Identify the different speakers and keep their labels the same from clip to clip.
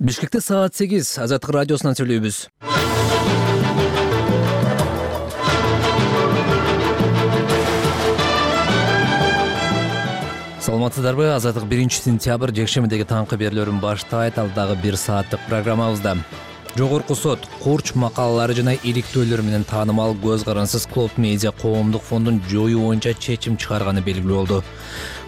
Speaker 1: Бишкекте саат 8 Азаттык радиосунан сүйлөйбүз. Саламатсыздарбы? Азаттык 1-сентябрь жекшемидеги таңкы берүүлөрүн баштайт. Алдагы 1 сааттык программабызда Жогорку сот курч макалалары жана иликтөөлөр менен таанымал көз карансыз Клоп Медиа коомдук фондун жоюу боюнча чечим чыгарганы белгилүү болду.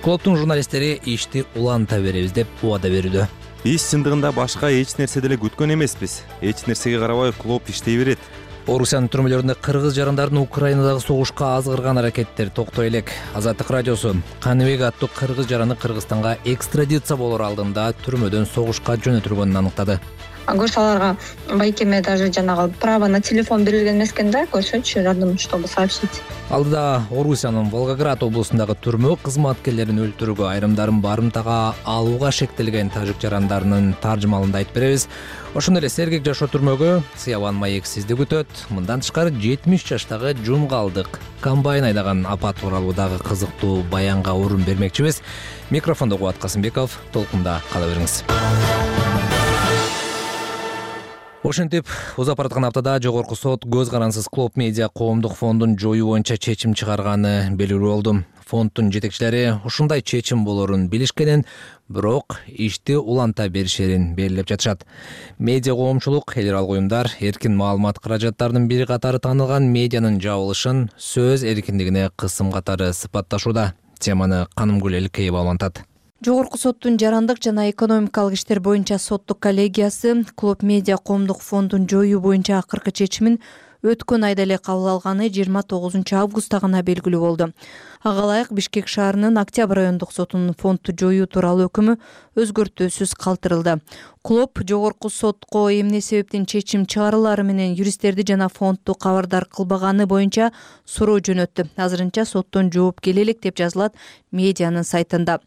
Speaker 1: Клоптун журналисттери ишти уланта беребиз деп убада берүүдө.
Speaker 2: Биз чындыгында башка эч нерсе деле күткөн эмеспиз. Эч нерсеге карабай Клоп иштей берет.
Speaker 1: Орусиянын түрмөлөрүндө кыргыз жарандардын Украинадагы согушка азгырган аракеттер токтой элек. Азаттык радиосу Каныбек аттуу кыргыз жараны Кыргызстанга экстрадиция болор алдында түрмөдөн согушка жөнөтүлгөнүн аныктады.
Speaker 3: Көрсө аларга байкеме даже жанагы право на телефон берилген эмес экен да, көрсөчү жардам, чтобы сообщить.
Speaker 1: Алдыда Орусиянын Волгоград облусундагы түрмө кызматкерлерин өлтүрүүгө, айрымдарын барымтага алууга шектелген тажик жарандарынын таржымалында айтып беребиз. Ошондой эле сергек жашоо түрмөгө Сыябан Маексизди күтөт. Мындан тышкары 70 жаштагы жумгалдык комбайн айдаган апат тууралуу дагы кызыктуу баянга орун бермекчибиз. Микрофондо Кубат Касымбеков, толкунда кала бериңиз. Ошентип, узап бараткан аптада Жогорку сот көз карансыз Клоп Медиа коомдук фондун жоюу боюнча чечим чыгарганы белгилүү болду. Фонддун жетекчилери ушундай чечим болорун билишкенин, бирок ишти уланта беришерин белгилеп жатышат. Медиа коомчулук, эл аралык уюмдар эркин маалымат каражаттарынын бири катары таанылган медианын жабылышын сөз эркиндигине кысым катары сыпатташууда. Теманы Канымгүл Элкеева улантат.
Speaker 4: Жогорку соттун жарандык жана экономикалык иштер боюнча соттук коллегиясы Клоп Медиа коомдук фондун жоюу боюнча акыркы чечимин өткөн айда эле кабыл алганы 29 августта гана белгилүү болду. Ага ылайык Бишкек шаарынын Октябрь райондук сотунун фондду жоюу тууралуу өкүмү өзгөртүүсүз калтырылды. Клоп жогорку сотко эмне себептен чечим чыгарылары менен юристтерди жана фондду кабардар кылбаганы боюнча суроо жөнөттү. Азырынча соттон жооп келе элек деп жазылат медианын сайтында.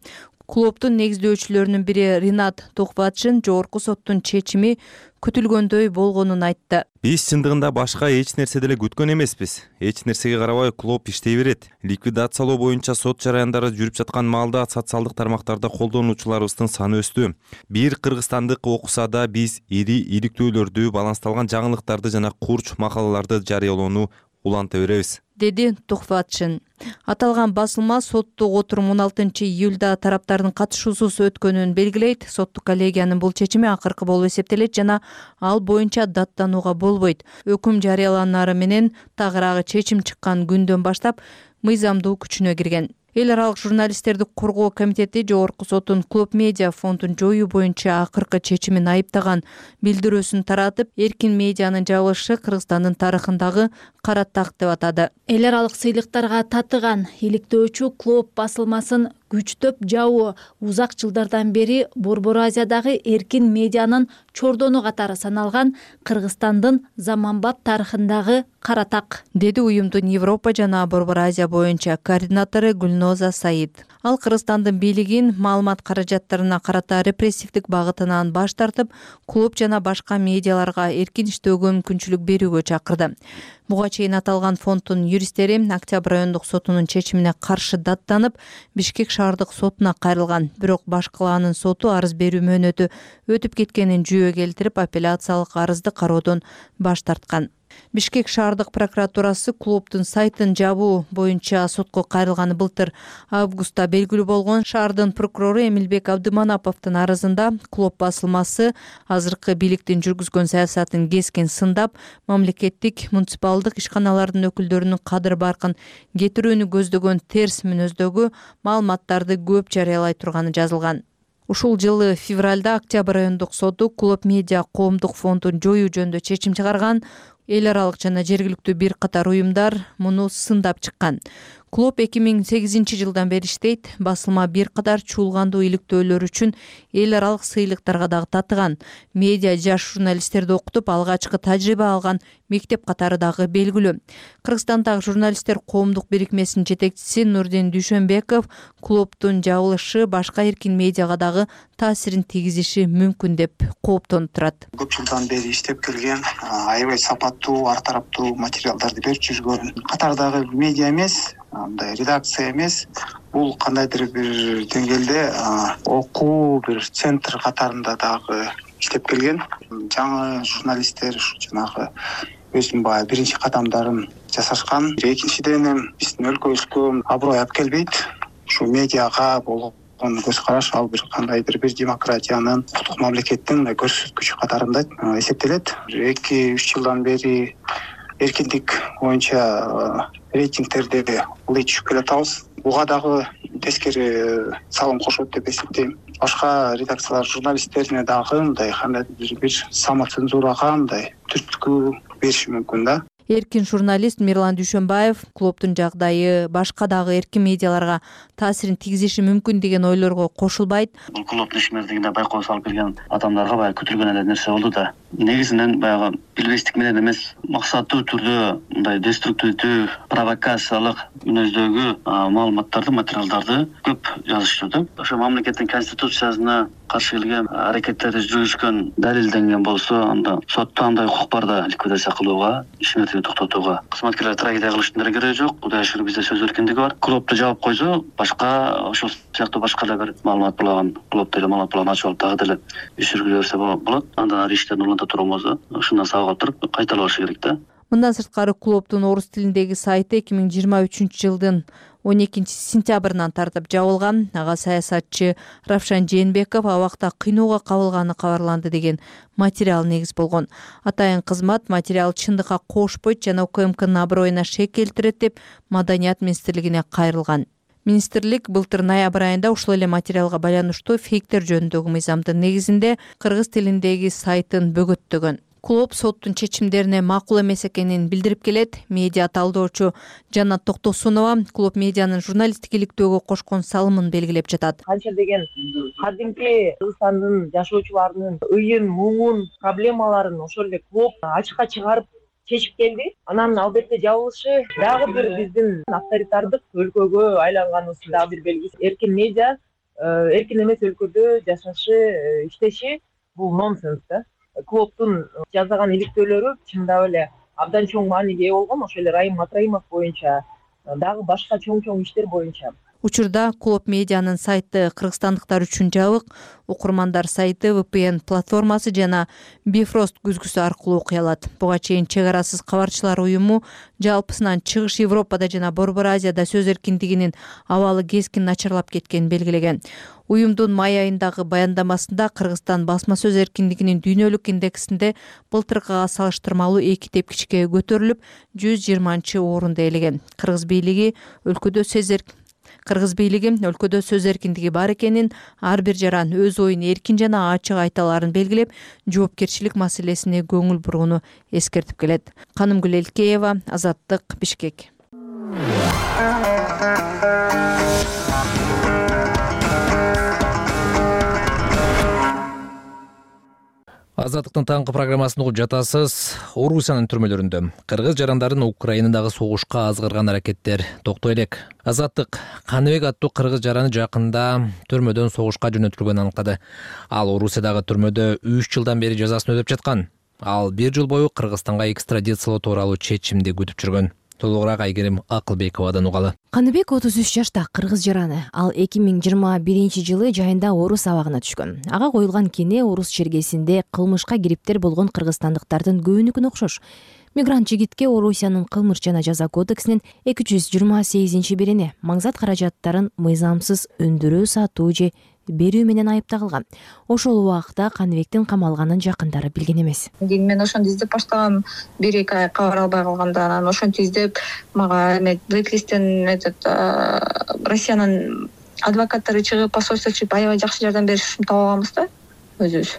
Speaker 4: Клоптун негиздөөчүлөрүнүн бири Ринат Тухватшин жогорку соттун чечими күтүлгөндөй болгонун айтты.
Speaker 2: Биз чындыгында башка эч нерсе деле күткөн эмеспиз. Эч нерсеге карабай Клоп иштей берет. Ликвидациялоо боюнча сот жараяндары жүрүп жаткан маалда социалдык тармактарда колдонуучуларыбыздын саны өстү. Бир кыргызстандык окуса да биз ири иликтөөлөрдү, балансталган жаңылыктарды жана курч макалаларды жарыялоону уланта беребиз,
Speaker 4: деди Тухватшин. Аталган басылма соттук отурум 16 июлда тараптардын катышуусуз өткөнүн белгилейт. Соттук коллегиянын бул чечими акыркы болуп эсептелет жана ал боюнча даттанууга болбойт. Өкүм жарыяланары менен тагыраагы чечим чыккан күндөн баштап мыйзамдуу күчүнө кирген. Эл аралык журналисттерди коргоо комитети Жогорку соттун Клоп Медиа фондун жоюу боюнча акыркы чечимин айыптаган билдирүүсүн таратып, эркин медианын жабылышы Кыргызстандын тарыхындагы кара так деп атады.
Speaker 5: Эл аралык сыйлыктарга татыган иликтөөчү Клоп басылмасын күчтөп жабуу узак жылдардан бери Борбор Азиядагы эркин медианын чордону катары саналган Кыргызстандын заманбап тарыхындагы кара так,
Speaker 4: деди уюмдун Европа жана Борбор Азия боюнча координатору Гүлноза Саид. Ал Кыргызстандын бийлигин маалымат каражаттарына карата репрессивдик багытынан баш тартып, Клоп жана башка медиаларга эркин иштөөгө мүмкүнчүлүк берүүгө чакырды. Буга чейин аталган фонддун юристтери Октябрь райондук сотунун чечимине каршы даттанып, Бишкек шаардык сотуна кайрылган. Бирок башкалаанын соту арыз берүү мөөнөтү өтүп кеткенин жүйө келтирип, апелляциялык арызды кароодон баш тарткан. Бишкек шаардык прокуратурасы Клоптун сайтын жабуу боюнча сотко кайрылганы былтыр августта белгилүү болгон. Шаардын прокурору Эмилбек Абдыманаповдун арызында Клоп басылмасы азыркы бийликтин жүргүзгөн саясатын кескин сындап, мамлекеттик муниципалдык ишканалардын өкүлдөрүнүн кадыр баркын кетирүүнү көздөгөн терс мүнөздөгү маалыматтарды көп жарыялай турганы жазылган. Ушул жылы февралда Октябрь райондук соту Клоп Медиа коомдук фондун жоюу жөнүндө чечим чыгарган. Эл аралык жана жергиликтүү бир катар уюмдар муну сындап чыккан. Клоп 2008 жылдан бери иштейт. Басылма бир катар чуулгандуу иликтөөлөр үчүн эл аралык сыйлыктарга дагы татыган. Медиа жаш журналисттерди окутуп, алгачкы тажрыйба алган мектеп катары дагы белгилүү. Кыргызстандагы журналисттер коомдук бирикмесинин жетекчиси Нурдин Дүйшөнбеков Клоптун жабылышы башка эркин медиага дагы таасирин тийгизиши мүмкүн деп кооптонуп турат.
Speaker 6: Көп жылдан бери иштеп келген, аябай сапаттуу, ар тараптуу материалдарды берип жүргөн катардагы медиа эмес, андай редакция эмес, бул кандайдыр бир деңгээлде окуу бир центр катарында дагы иштеп келген. Жаңы журналисттер ушу жанагы өзүнүн баягы биринчи кадамдарын жасашкан. Экинчиден биздин өлкөбүзгө аброй алып келбейт. Ушу медиага болгон көз караш ал бир кандайдыр бир демократиянын, укуктук мамлекеттин көрсөткүчү катарында эсептелет. 2-3 жылдан бери эркиндик боюнча рейтингтерде улай түшүп келатабыз. Буга дагы тескери салым кошот деп эсептейм. Башка редакциялар журналисттерине дагы мындай кандайдыр бир самоцензурага мындай түрткү бериши мүмкүн да.
Speaker 4: Эркин журналист Мирлан Дүйшөнбаев клубдун жагдайы башка дагы эркин медиаларга таасирин тийгизиши мүмкүн деген ойлорго кошулбайт.
Speaker 7: Бул клубдун ишмердигинде байкоо салып келген адамдарга баягы күтүлгөн эле нерсе болду да. Негизинен баягы билбестик менен эмес, максаттуу түрдө мындай деструктивдүү, провокациялык мүнөздөгү маалыматтарды, материалдарды көп жазышты да. Ошо мамлекеттин конституциясына каршы келген аракеттерди жүргүзгөн, далилденген болсо, анда сотто андай укук бар да ликвидация кылууга, ишмердикти токтотууга. Кызматкерлер трагедия кылыштын деле кереги жок. Кудайга шүгүр бизде сөз эркиндиги бар. Клубду жаап койсо, башка ошол сыяктуу башка да бир маалымат булаган, клубда эле маалымат булаган ачып алып дагы деле иш жүргүзө берсе болот. Андан ары иштерин уланта турганболсо, ушундан сабак алып туруп кайталабашы керек да.
Speaker 4: Мындан сырткары клубдун орус тилиндеги сайты 2023-жылдын 12-сентябрынан тартып жабылган. Ага саясатчы Равшан Жээнбеков абакта кыйноого кабылганы кабарланды деген материал негиз болгон. Атайын кызмат материал чындыкка кошпойт жана УКМКнын аброюна шек келтирет деп Маданият министрлигине кайрылган. Министрлик былтыр ноябрь айында ушул эле материалга байланыштуу фейктер жөнүндөгү мыйзамдын негизинде кыргыз тилиндеги сайтын бөгөттөгөн. Клуб соттун чечимдерине макул эмес экенин билдирип келет. Медиа талдоочу Жанат Токтосунова клуб медианын журналисттик иликтөөгө кошкон салымын белгилеп жатат.
Speaker 8: Канча деген кадимки Кыргызстандын жашоочуларынын ыйын, муңун, проблемаларын ошол эле клуб ачыкка чыгарып чечип келди. Анан албетте жабылышы дагы бир биздин авторитардык өлкөгө айланганыбыздын дагы бир белгиси. Эркин медиа эркин эмес өлкөдө жашашы, иштеши бул нонсенс да. Клубдун жасаган иликтөөлөрү чындап эле абдан чоң мааниге ээ болгон. Ошол эле Райым Матраимов боюнча дагы башка чоң иштер боюнча.
Speaker 4: Учурда клуб медианын сайты кыргызстандыктар үчүн жабык. Укурмандар сайты VPN платформасы жана Bifrost күзгүсү аркылуу окуй алат. Буга чейин Чек арасыз кабарчылар уюму жалпысынан Чыгыш Европада жана Борбор Азияда сөз эркиндигинин абалы кескин начарлап кеткенин белгилеген. Уюмдун май айындагы баяндамасында Кыргызстан басма сөз эркиндигинин дүйнөлүк индексинде былтыркыга салыштырмалуу 2 тепкичке көтөрүлүп, 120-орунду ээлеген. Кыргыз бийлиги өлкөдө сөз эркиндиги бар экенин, ар бир жаран өз оюн эркин жана ачык айта аларын белгилеп, жоопкерчилик маселесине көңүл бурууну эскертип келет. Канымгүл Элкеева, Азаттык, Бишкек.
Speaker 1: Азаттыктын таңкы программасын угуп жатасыз. Орусиянын түрмөлөрүндө кыргыз жарандарын Украинадагы согушка азгырган аракеттер токтой элек. Азаттык Каныбек аттуу кыргыз жараны жакында түрмөдөн согушка жөнөтүлгөнүн аныктады. Ал Орусиядагы түрмөдө 3 жылдан бери жазасын өтөп жаткан. Ал 1 жыл бою Кыргызстанга экстрадициялоо тууралуу чечимди күтүп жүргөн. Толугураак Айгерим Акылбековадан угалы.
Speaker 9: Каныбек 33 жашта кыргыз жараны. Ал 2021-жылы жайында орус абагына түшкөн. Ага коюлган кене орус чергесинде кылмышка кириптер болгон кыргызстандыктардын көбүнүкүнө окшош. Мигрант жигитке Орусиянын кылмыш жана жаза кодексинин 228-бирине маңзат каражаттарын мыйзамсыз өндүрүү, сатуу же берүү менен айыпталган. Ошол убакта Каныбектин камалганын жакындары билген эмес.
Speaker 3: Мен ошондо издеп баштагам, 1-2 ай кабар албай калганда, анан ошентип издеп, мага блэклисттен Россиянын адвокаттары чыгып, посольство чыгып, аябай жакшы жардам беришин таап алганбыз да өзүбүз.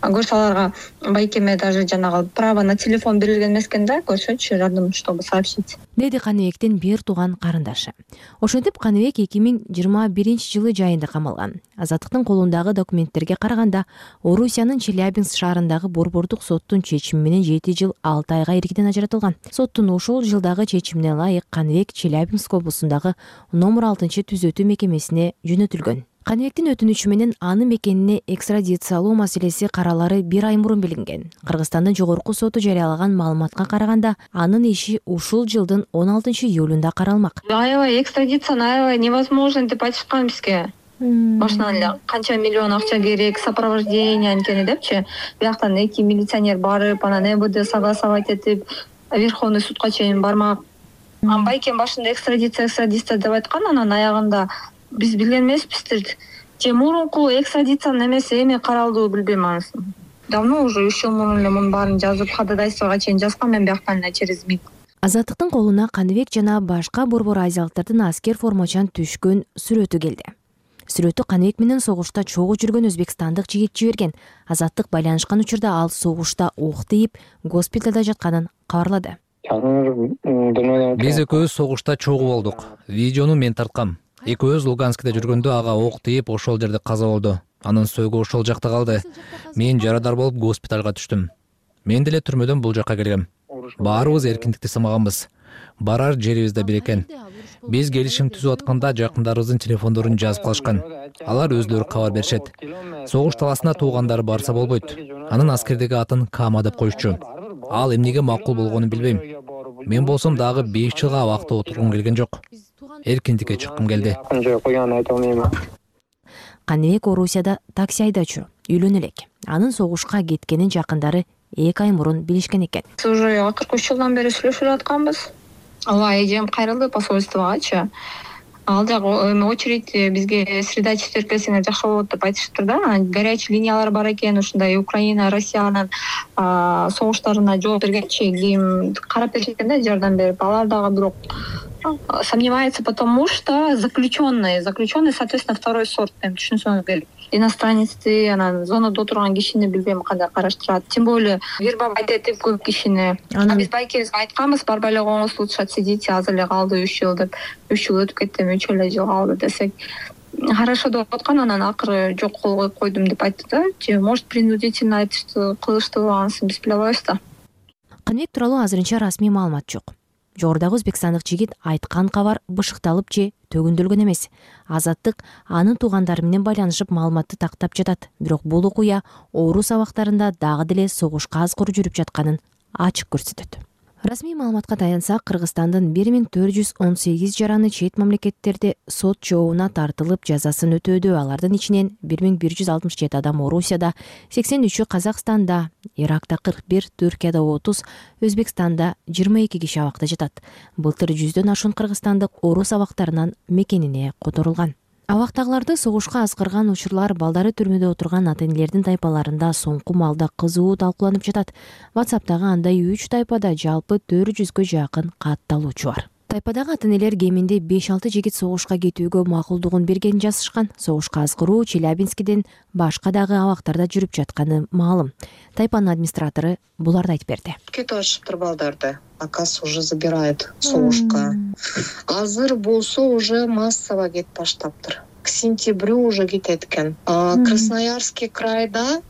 Speaker 3: Көрсө аларга байкеме даже жанагы право на телефон берилген эмес экен да, көрсөчү жардам, чтобы сообщить.
Speaker 9: Деди Каныбектин бир тууган карындашы. Ошентип Каныбек 2021-жылы жайында камалган. Азаттыктын колундагы документтерге караганда, Орусиянын Челябинск шаарындагы борбордук соттун чечими менен 7 жыл 6 айга иркиден ажыратылган. Соттун ошол жылдагы чечимине ылайык Каныбек Челябинск облусундагы номер 6-түзөтүү мекемесине жөнөтүлгөн. Каныбектин өтүнүчү менен аны мекенине экстрадициялоо маселеси каралары 1 ай мурун билинген. Кыргызстандын жогорку соту жарыялаган маалыматка караганда, анын иши ушул жылдын 16-июлунда каралмак.
Speaker 3: Аябай экстрадицияны аябай невозможно деп айтышкан бизге. башынан эле канча миллион акча керек, сопровождение анткени депчи. Бияктан 2 милиционер барып, анан МВД согласовать этип, Верховный судка чейин бармак. Байкем башында экстрадиция деп айткан, анан аягында биз билген эмеспиздир. Же мурунку экстрадициянын эмеси эми каралдыбы билбейм анысын. Давно уже 3 жыл мурун эле мунун баарын жазып, ходатайствого чейин жазган мен бияктан эле через МИД.
Speaker 9: Азаттыктын колуна Каныбек жана башка борбор азиялыктардын аскер формачан түшкөн сүрөтү келди. Сүрөтү Каныбек менен согушта чогуу жүргөн өзбекстандык жигит жиберген. Азаттык байланышкан учурда ал согушта ок тийип, госпиталда жатканын кабарлады.
Speaker 1: Биз экөөбүз согушта чогуу болдук. Видеону мен тарткам. Экөөбүз Луганскиде жүргөндө ага ок тийип, ошол жерде каза болду. Анын сөөгү ошол жакта калды. Мен жарадар болуп госпиталга түштүм. Мен деле түрмөдөн бул жакка келгем. Баарыбыз эркиндикти сымаганбыз. Барар жерибиз да бир экен. Биз келишим түзүп атканда жакындарыбыздын телефондорун жазып калышкан. Алар өзлөрү кабар беришет. Согуш таласына туугандары барса болбойт. Анын аскердеги атын Кама деп коюшчу. Ал эмнеге макул болгонун билбейм. Мен болсом дагы 5 жылга абакта отургум келген жок. Эркиндикке чыккым келди.
Speaker 9: Каныбек Орусияда такси айдоочу, үйлөнө элек. Анын согушка кеткенин жакындары 2 ай мурун билишкен экен.
Speaker 3: Биз уже акыркы 3 жылдан бери сүйлөшүп атканбыз. Ооба, эжем кайрылды посольствогачы. Ал жагы очередь бизге среда четверг келсеңер жакшы болот деп айтышыптыр да. Горячий линиялар бар экен, ушундай Украина, Россиянын согуштарына жооп бергенчи ким карап беришет экен да, жардам берип. Алар дагы бирок сомневается, потому что заключенный, соответственно, второй сорт, түшүнсөңүз керек. Иностранецти, анан зонада отурган кишини билбейм кандай караштырат. Тем более вербовать этип көп кишини. Биз байкебизге айтканбыз, барбай эле коңуз, лучше отсидите, азыр эле калды 3 жыл деп. 3 жыл өтүп кетти, 3 эле жыл калды десек. Хорошо деп аткан, анан акыры жок кол койдум деп айтты да. Же может принудительно айтышты, кылыштыбы анысын биз биле албайбыз да.
Speaker 9: Каныбек тууралуу азырынча расмий маалымат жок. Жогорудагы өзбекстандык жигит айткан кабар бышыкталып же төгүндүлгөн эмес. Азаттык анын туугандары менен байланышып маалыматты тактап жатат. Бирок бул окуя Орус абактарында дагы деле согушка азгыр жүрүп жатканын ачык көрсөтөт. Расмий маалыматка таянсак, Кыргызстандын 1418 жараны чет мамлекеттерде сот жообуна тартылып жазасын өтөөдө. Алардын ичинен 1167 адам Орусияда, 83-ü Казакстанда, Иракта 41, Түркияда 30, Өзбекстанда 22 киши абакта жатат. Былтыр 100дөн ашуун кыргызстандык Орус абактарынан мекенине которулган. Абактагыларды согушка азгырган учурлар балдары түрмөдө отурган ата-энелердин тайпаларында соңку маалда кызуу талкууланып жатат. WhatsApp'тагы андай 3 тайпада жалпы 400гө жакын катталуучу бар. Тайпадагы ата-энелер кеминде 5-6 жигит согушка кетүүгө макулдугун бергенин жазышкан. Согушка азгыруу Челябинскиден башка дагы абактарда жүрүп жатканы маалым. Тайпанын администратору буларды айтып берди.
Speaker 10: Кетип атышыптыр балдарды. Акас уже забирает согушка. Азыр болсо уже массово кетип баштаптыр. К сентябрю уже кетет экен. Красноярский крайда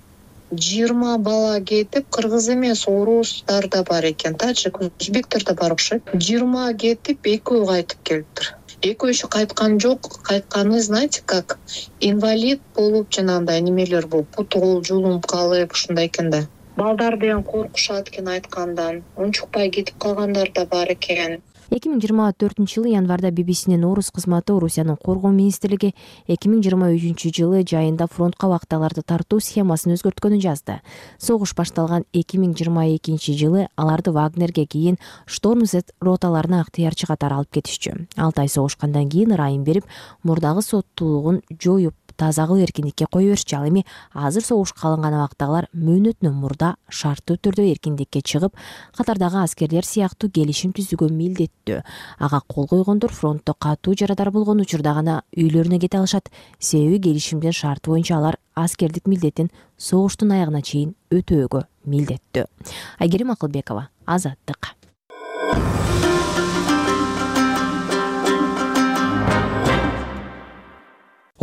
Speaker 10: 20 бала кетип, кыргыз эмес, орустар да бар экен, таджик, өзбектер да бар окшойт. 20 кетип, 2 кайтып келиптир. 2 кайткан жок, кайтканы, знаете как, инвалид болуп, жанагындай немелер болуп, путу кол жулумуп калып, ушундай экен да. Балдар деген коркушат экен айткандан, унчукпай кетип калгандар да бар экен.
Speaker 9: 2024 январда BBC'нин Орус кызматы Орусиянын коргоо министрлиги 2023 жайында фронтка абактагыларды тартуу схемасын өзгөрткөнүн жазды. Согуш башталган 2022 аларды Вагнерге, кийин Шторм Z роталарына ыктыярчы катары алып кетишчү. 6 ай согушкандан кийин ырайым берип, мурдагы соттуулугун жоюп, таза кылып эркиндикке кое беришчи. Ал эми азыр согушка алынган абактагылар мөөнөтүнөн мурда шарттуу түрдө эркиндикке чыгып, катардагы аскерлер сыяктуу келишим түзүүгө милдеттүү. Ага кол койгондор фронтто катуу жарадар болгон учурда гана үйлөрүнө кете алышат. Себеби келишимдин шарты боюнча алар аскердик милдетин согуштун аягына чейин өтөөгө милдеттүү. Айгерим Акылбекова, Азаттык.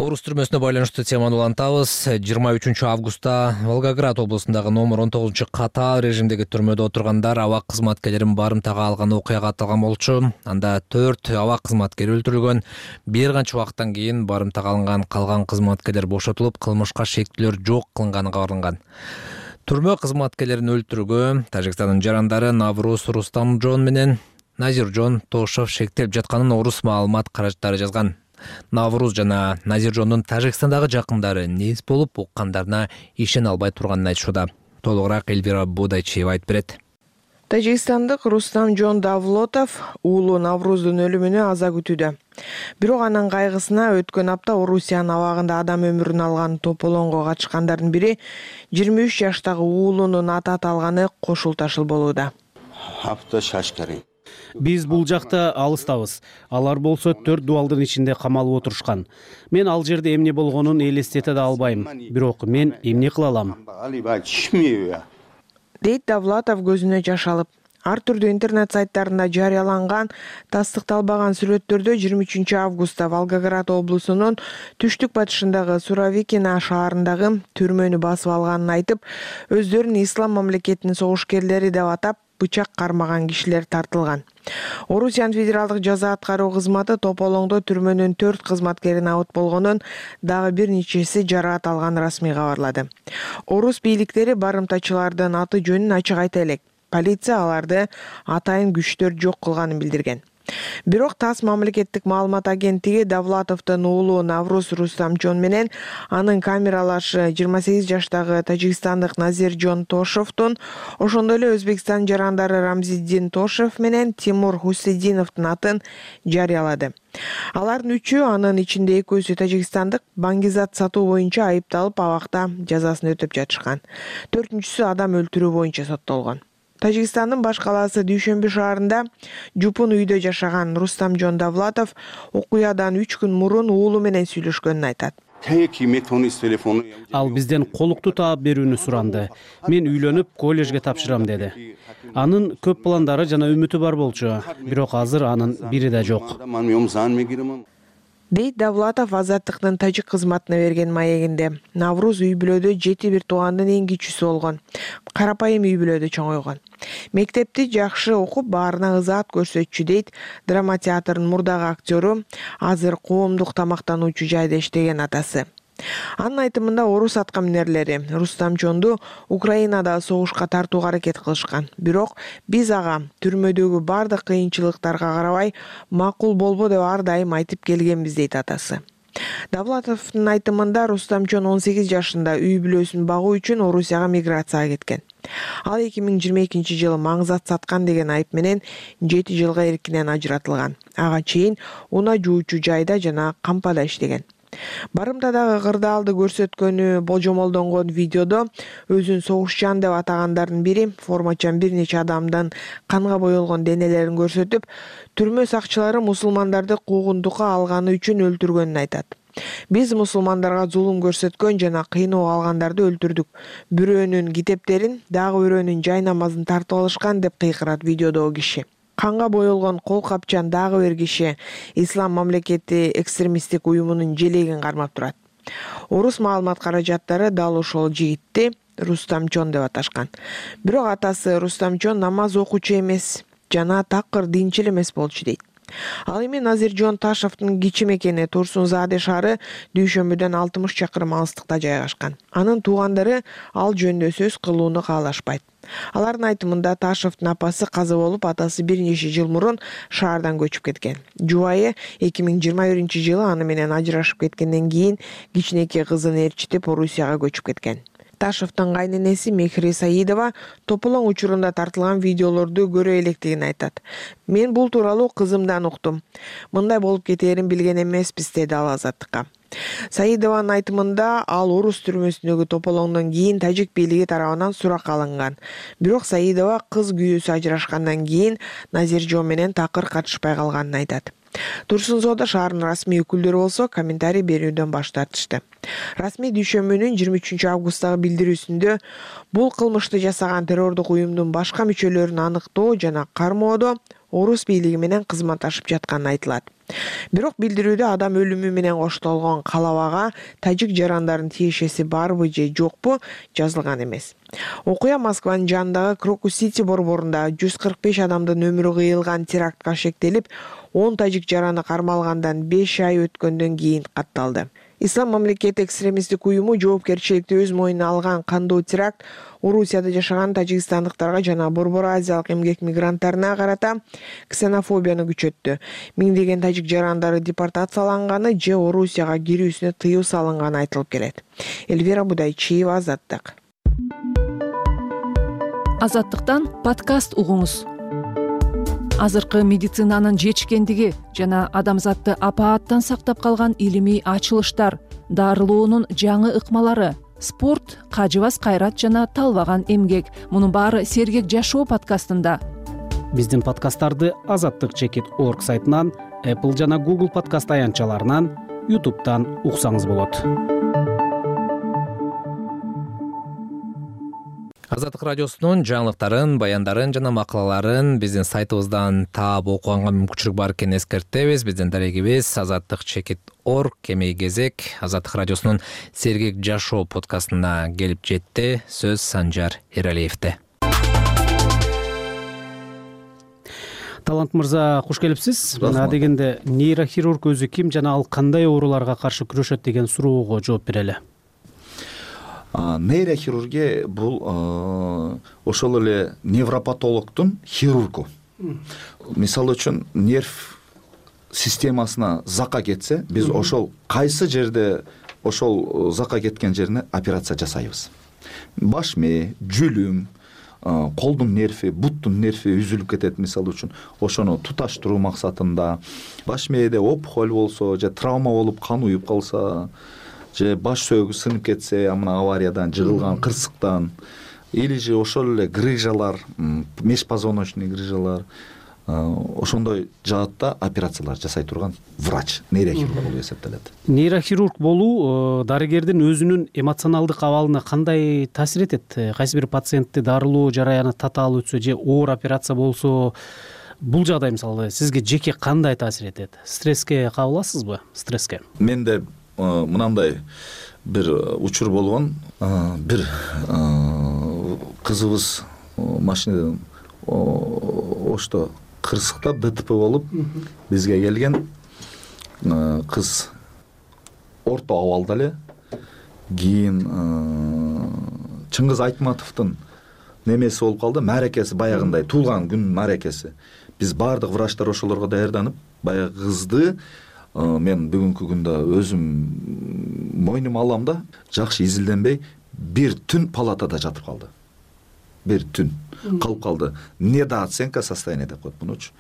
Speaker 1: Орус түрмөсүнө байланыштуу теманы улантабыз. 23 августта Волгоград облусундагы номер 19 катаал режимдеги түрмөдө отургандар абак кызматкерлерин барымтага алган окуяга аталган болчу. Анда 4 абак кызматкер өлтүрүлгөн. Бир канча убакыттан кийин барымтага алынган калган кызматкерлер бошотулуп, кылмышка шектүүлөр жок кылынганы кабарланган. Түрмө кызматкерлерин өлтүрүүгө Тажикстандын жарандары Навруз Рустамжон менен Назиржон Тошов шектелип жатканын Орус маалымат каражаттары жазган. Навруз жана Назиржондун Тажикстандагы жакындары нес болуп уккандарына ишене албай турганын айтышууда. Толугураак Эльвира Бодайчиева айтып берет.
Speaker 11: Тажикстандык Рустамжон Давлотов уулу Навруздун өлүмүнө аза күтүүдө. Бирок анын кайгысына өткөн апта Орусиянын абагында адам өмүрүн алган тополоңго катышкандардын бири 23 жаштагы уулунун аты аталганы кошул ташыл болууда.
Speaker 12: Биз бул жакта алыстабыз. Алар болсо 4 дубалдын ичинде камалып отурушкан. Мен ал жерде эмне болгонун элестете да албайм. Бирок мен эмне кыла алам?
Speaker 11: Дейт Давлатов көзүнө жаш алып. Ар түрдүү интернет сайттарында жарыяланган тастыкталбаган сүрөттөрдө 23 августта Волгоград облусунун түштүк батышындагы Суровикино шаарындагы түрмөнү басып алганын айтып, өздөрүн ислам мамлекетинин согушкерлери деп атап, бычак кармаган кишилер тартылган. Орусиянын федералдык жаза аткаруу кызматы тополоңдо түрмөнүн 4 кызматкерин абыт болгонун, дагы бир нечеси жараат алганын расмий кабарлады. Орус бийликтери барымтачылардын аты жөнүн ачык айта элек. Полиция аларды атайын күчтөр жок кылганын билдирген. Бирок ТАСС мамлекеттик маалымат агенттиги Давлатовдун уулу Навруз Рустамжон менен анын камералашы 28 жаштагы тажикстандык Назиржон Тошевдун, ошондой эле Өзбекстан жарандары Рамзиддин Тошев менен Тимур Хусейдиновдун атын жарыялады. Алардын 3-ü, анын ичинде 2-сү тажикстандык, баңгизат сатуу боюнча айыпталып абакта жазасын өтөп жатышкан. 4-сү адам өлтүрүү боюнча соттолгон. Тажикстандын баш калаасы Дүйшөмбү шаарында жупун үйдө жашаган Рустамжон Давлатов окуядан 3 күн мурун уулу менен сүйлөшкөнүн айтат.
Speaker 12: Ал бизден колукту таап берүүнү суранды. Мен үйлөнүп, коллежге тапшырам деди. Анын көп пландары жана үмүтү бар болчу, бирок азыр анын бири да жок.
Speaker 11: Дейт Давлатов Азаттыктын тажик кызматына берген маегинде. Навруз үй бүлөдө 7 туугандын эң кичүүсү болгон. Карапайым үй бүлөдө чоңойгон. Мектепти жакшы окуп, баарына ызаат көрсөтчү дейт драма театрынын мурдагы актёру, азыр коомдук тамактануучу жайда иштеген атасы. Анын айтымында орус аткаминерлери Рустамжонду Украинада согушка тартууга аракет кылышкан. Бирок биз ага түрмөдөгү бардык кыйынчылыктарга карабай макул болбо деп ар дайым айтып келгенбиз дейт атасы. Давлатовдун айтымында Рустамжон 18 жашында үй бүлөсүн багуу үчүн Орусияга миграцияга кеткен. Ал 2022 жылы маңзат саткан деген айып менен 7 жылга эркинен ажыратылган. Ага чейин унаа жуучу жайда жана кампада иштеген. Барымтадагы кырдаалды көрсөткөнү болжомолдонгон видеодо өзүн согушчан деп атагандардын бири формачан бир нече адамдын канга боелгон денелерин көрсөтүп, түрмө сакчылары мусулмандарды куугунтукка алганы үчүн өлтүргөнүн айтат. Биз мусулмандарга зулум көрсөткөн жана кыйноого алгандарды өлтүрдүк. Бирөөнүн китептерин, дагы бирөөнүн жай намазын тартып алышкан деп кыйкырат видеодогу киши. Канга боелгон кол капчан дагы бир киши Ислам мамлекети экстремисттик уюмунун желегин кармап турат. Орус маалымат каражаттары дал ошол жигитти Рустамжон деп аташкан. Бирок атасы Рустамжон намаз окуучу эмес жана такыр динчил эмес болчу дейт. Ал эми Назиржон Ташевдин кичи мекени Турсунзаде шаары Дүйшөмбүдөн 60 чакырым алыстыкта жайгашкан. Анын туугандары ал жөнүндө сөз кылууну каалашпайт. Алардын айтымында Ташевдин апасы каза болуп, атасы бир нече жыл мурун шаардан көчүп кеткен. Жубайы 2021 жылы аны менен ажырашып кеткенден кийин кичинекей кызын ээрчитип Орусияга көчүп кеткен. Ташевдин кайненеси Мехри Саидова тополоң учурунда тартылган видеолорду көрө электигин айтат. Мен бул тууралуу кызымдан уктум. Мындай болуп кетээрин билген эмеспиз, деди ал Азаттыкка. Саидованын айтымында ал орус түрмөсүндөгү тополоңдон кийин тажик бийлиги тарабынан суракка алынган. Бирок Саидова кыз күйөөсү ажырашкандан кийин Назиржон менен такыр катышпай калганын айтат. Турсунзоодо шаарынын расмий өкүлдөрү болсо комментарий берүүдөн баш тартышты. Расмий Дүйшөмбүнүн 23 августтагы билдирүүсүндө бул кылмышты жасаган террордук уюмдун башка мүчөлөрүн аныктоо жана кармоодо орус бийлиги менен кызматташып жатканы айтылат. Бирок билдирүүдө адам өлүмү менен коштолгон калабага тажик жарандардын тиешеси барбы же жокпу жазылган эмес. Окуя Москванын жанындагы Крокус-Сити борборунда 145 адамдын өмүрү кыйылган терактка шектелип, 10 тажик жараны кармалгандан 5 ай өткөндөн кийин катталды. Ислам мамлекети экстремисттик уюму жоопкерчиликти өз мойнуна алган кандуу теракт Орусияда жашаган тажикстандыктарга жана Борбор Азиялык эмгек мигранттарына карата ксенофобияны күчөттү. Миңдеген тажик жарандары депортацияланганы же Орусияга кирүүсүнө тыюу салынганы айтылып келет. Эльвира Будайчиева, Азаттык.
Speaker 13: Азаттыктан подкаст угуңуз. Азыркы медицинанын жетишкендиги жана адамзатты апааттан сактап калган илимий ачылыштар, дарылоонун жаңы ыкмалары, спорт, кажыбас кайрат жана талбаган эмгек. Мунун баары Сергек жашоо подкастында.
Speaker 12: Биздин подкасттарды azattik.org сайтынан, Apple жана Google подкаст аянтчаларынан, YouTube'дан уксаңыз болот.
Speaker 1: Азаттык радиосунун жаңылыктарын, баяндарын жана макалаларын биздин сайтыбыздан таап окуганга мүмкүнчүлүк бар экенин эскертебиз. Биздин дарегибиз azattik.org /кезек. Азаттык радиосунун Сергек жашоо подкастына келип жетти. Сөз Санжар Эралиевде.
Speaker 12: Талант мырза, куш келипсиз. Мына дегенде нейрохирург өзү ким жана ал кандай ооруларга каршы күрөшөт деген суроого жооп берели.
Speaker 14: Нейрохирургия бул ошол эле невропатологдун хирургу. Мисалы үчүн нерв системасына закка кетсе, биз ошол кайсы жерде ошол закка кеткен жерине операция жасайбыз. Баш мээ, жүлүм, колдун нерви, буттун нерви үзүлүп кетет мисалы үчүн. Ошону туташтыруу максатында баш мээде опухоль болсо же травма болуп кан уюп калса, же баш сөөгү сынып кетсе, мына авариядан жыгылган кырсыктан, или же ошол эле грыжалар, межпозвоночный грыжалар, ошондой жаатта операциялар жасай турган врач, нейрохирург болуп эсептелет.
Speaker 12: Нейрохирург болуу дарыгердин өзүнүн эмоционалдык абалына кандай таасир этет? Кайсы бир пациентти дарылоо жараяны татаал өтсө же оор операция болсо, бул жагдай мисалы сизге жеке кандай таасир этет? Стресске кабыласызбы? Стресске?
Speaker 14: Менде мынандай бир учур болгон. Бир кызыбыз машинадан ошто кырсыктап ДТП болуп бизге келген. Кыз орто абалда эле. Кийин Чыңгыз Айтматовдун немеси болуп калды, мааракеси баягындай туулган күн мааракеси. Биз баардык врачтар ошолорго даярданып, баягы кызды мен бүгүнкү күндө өзүм мойнума алам да, жакшы изилденбей бир түн палатада жатып калды. Бир түн калып калды. Недооценка состояния деп коет мунучу.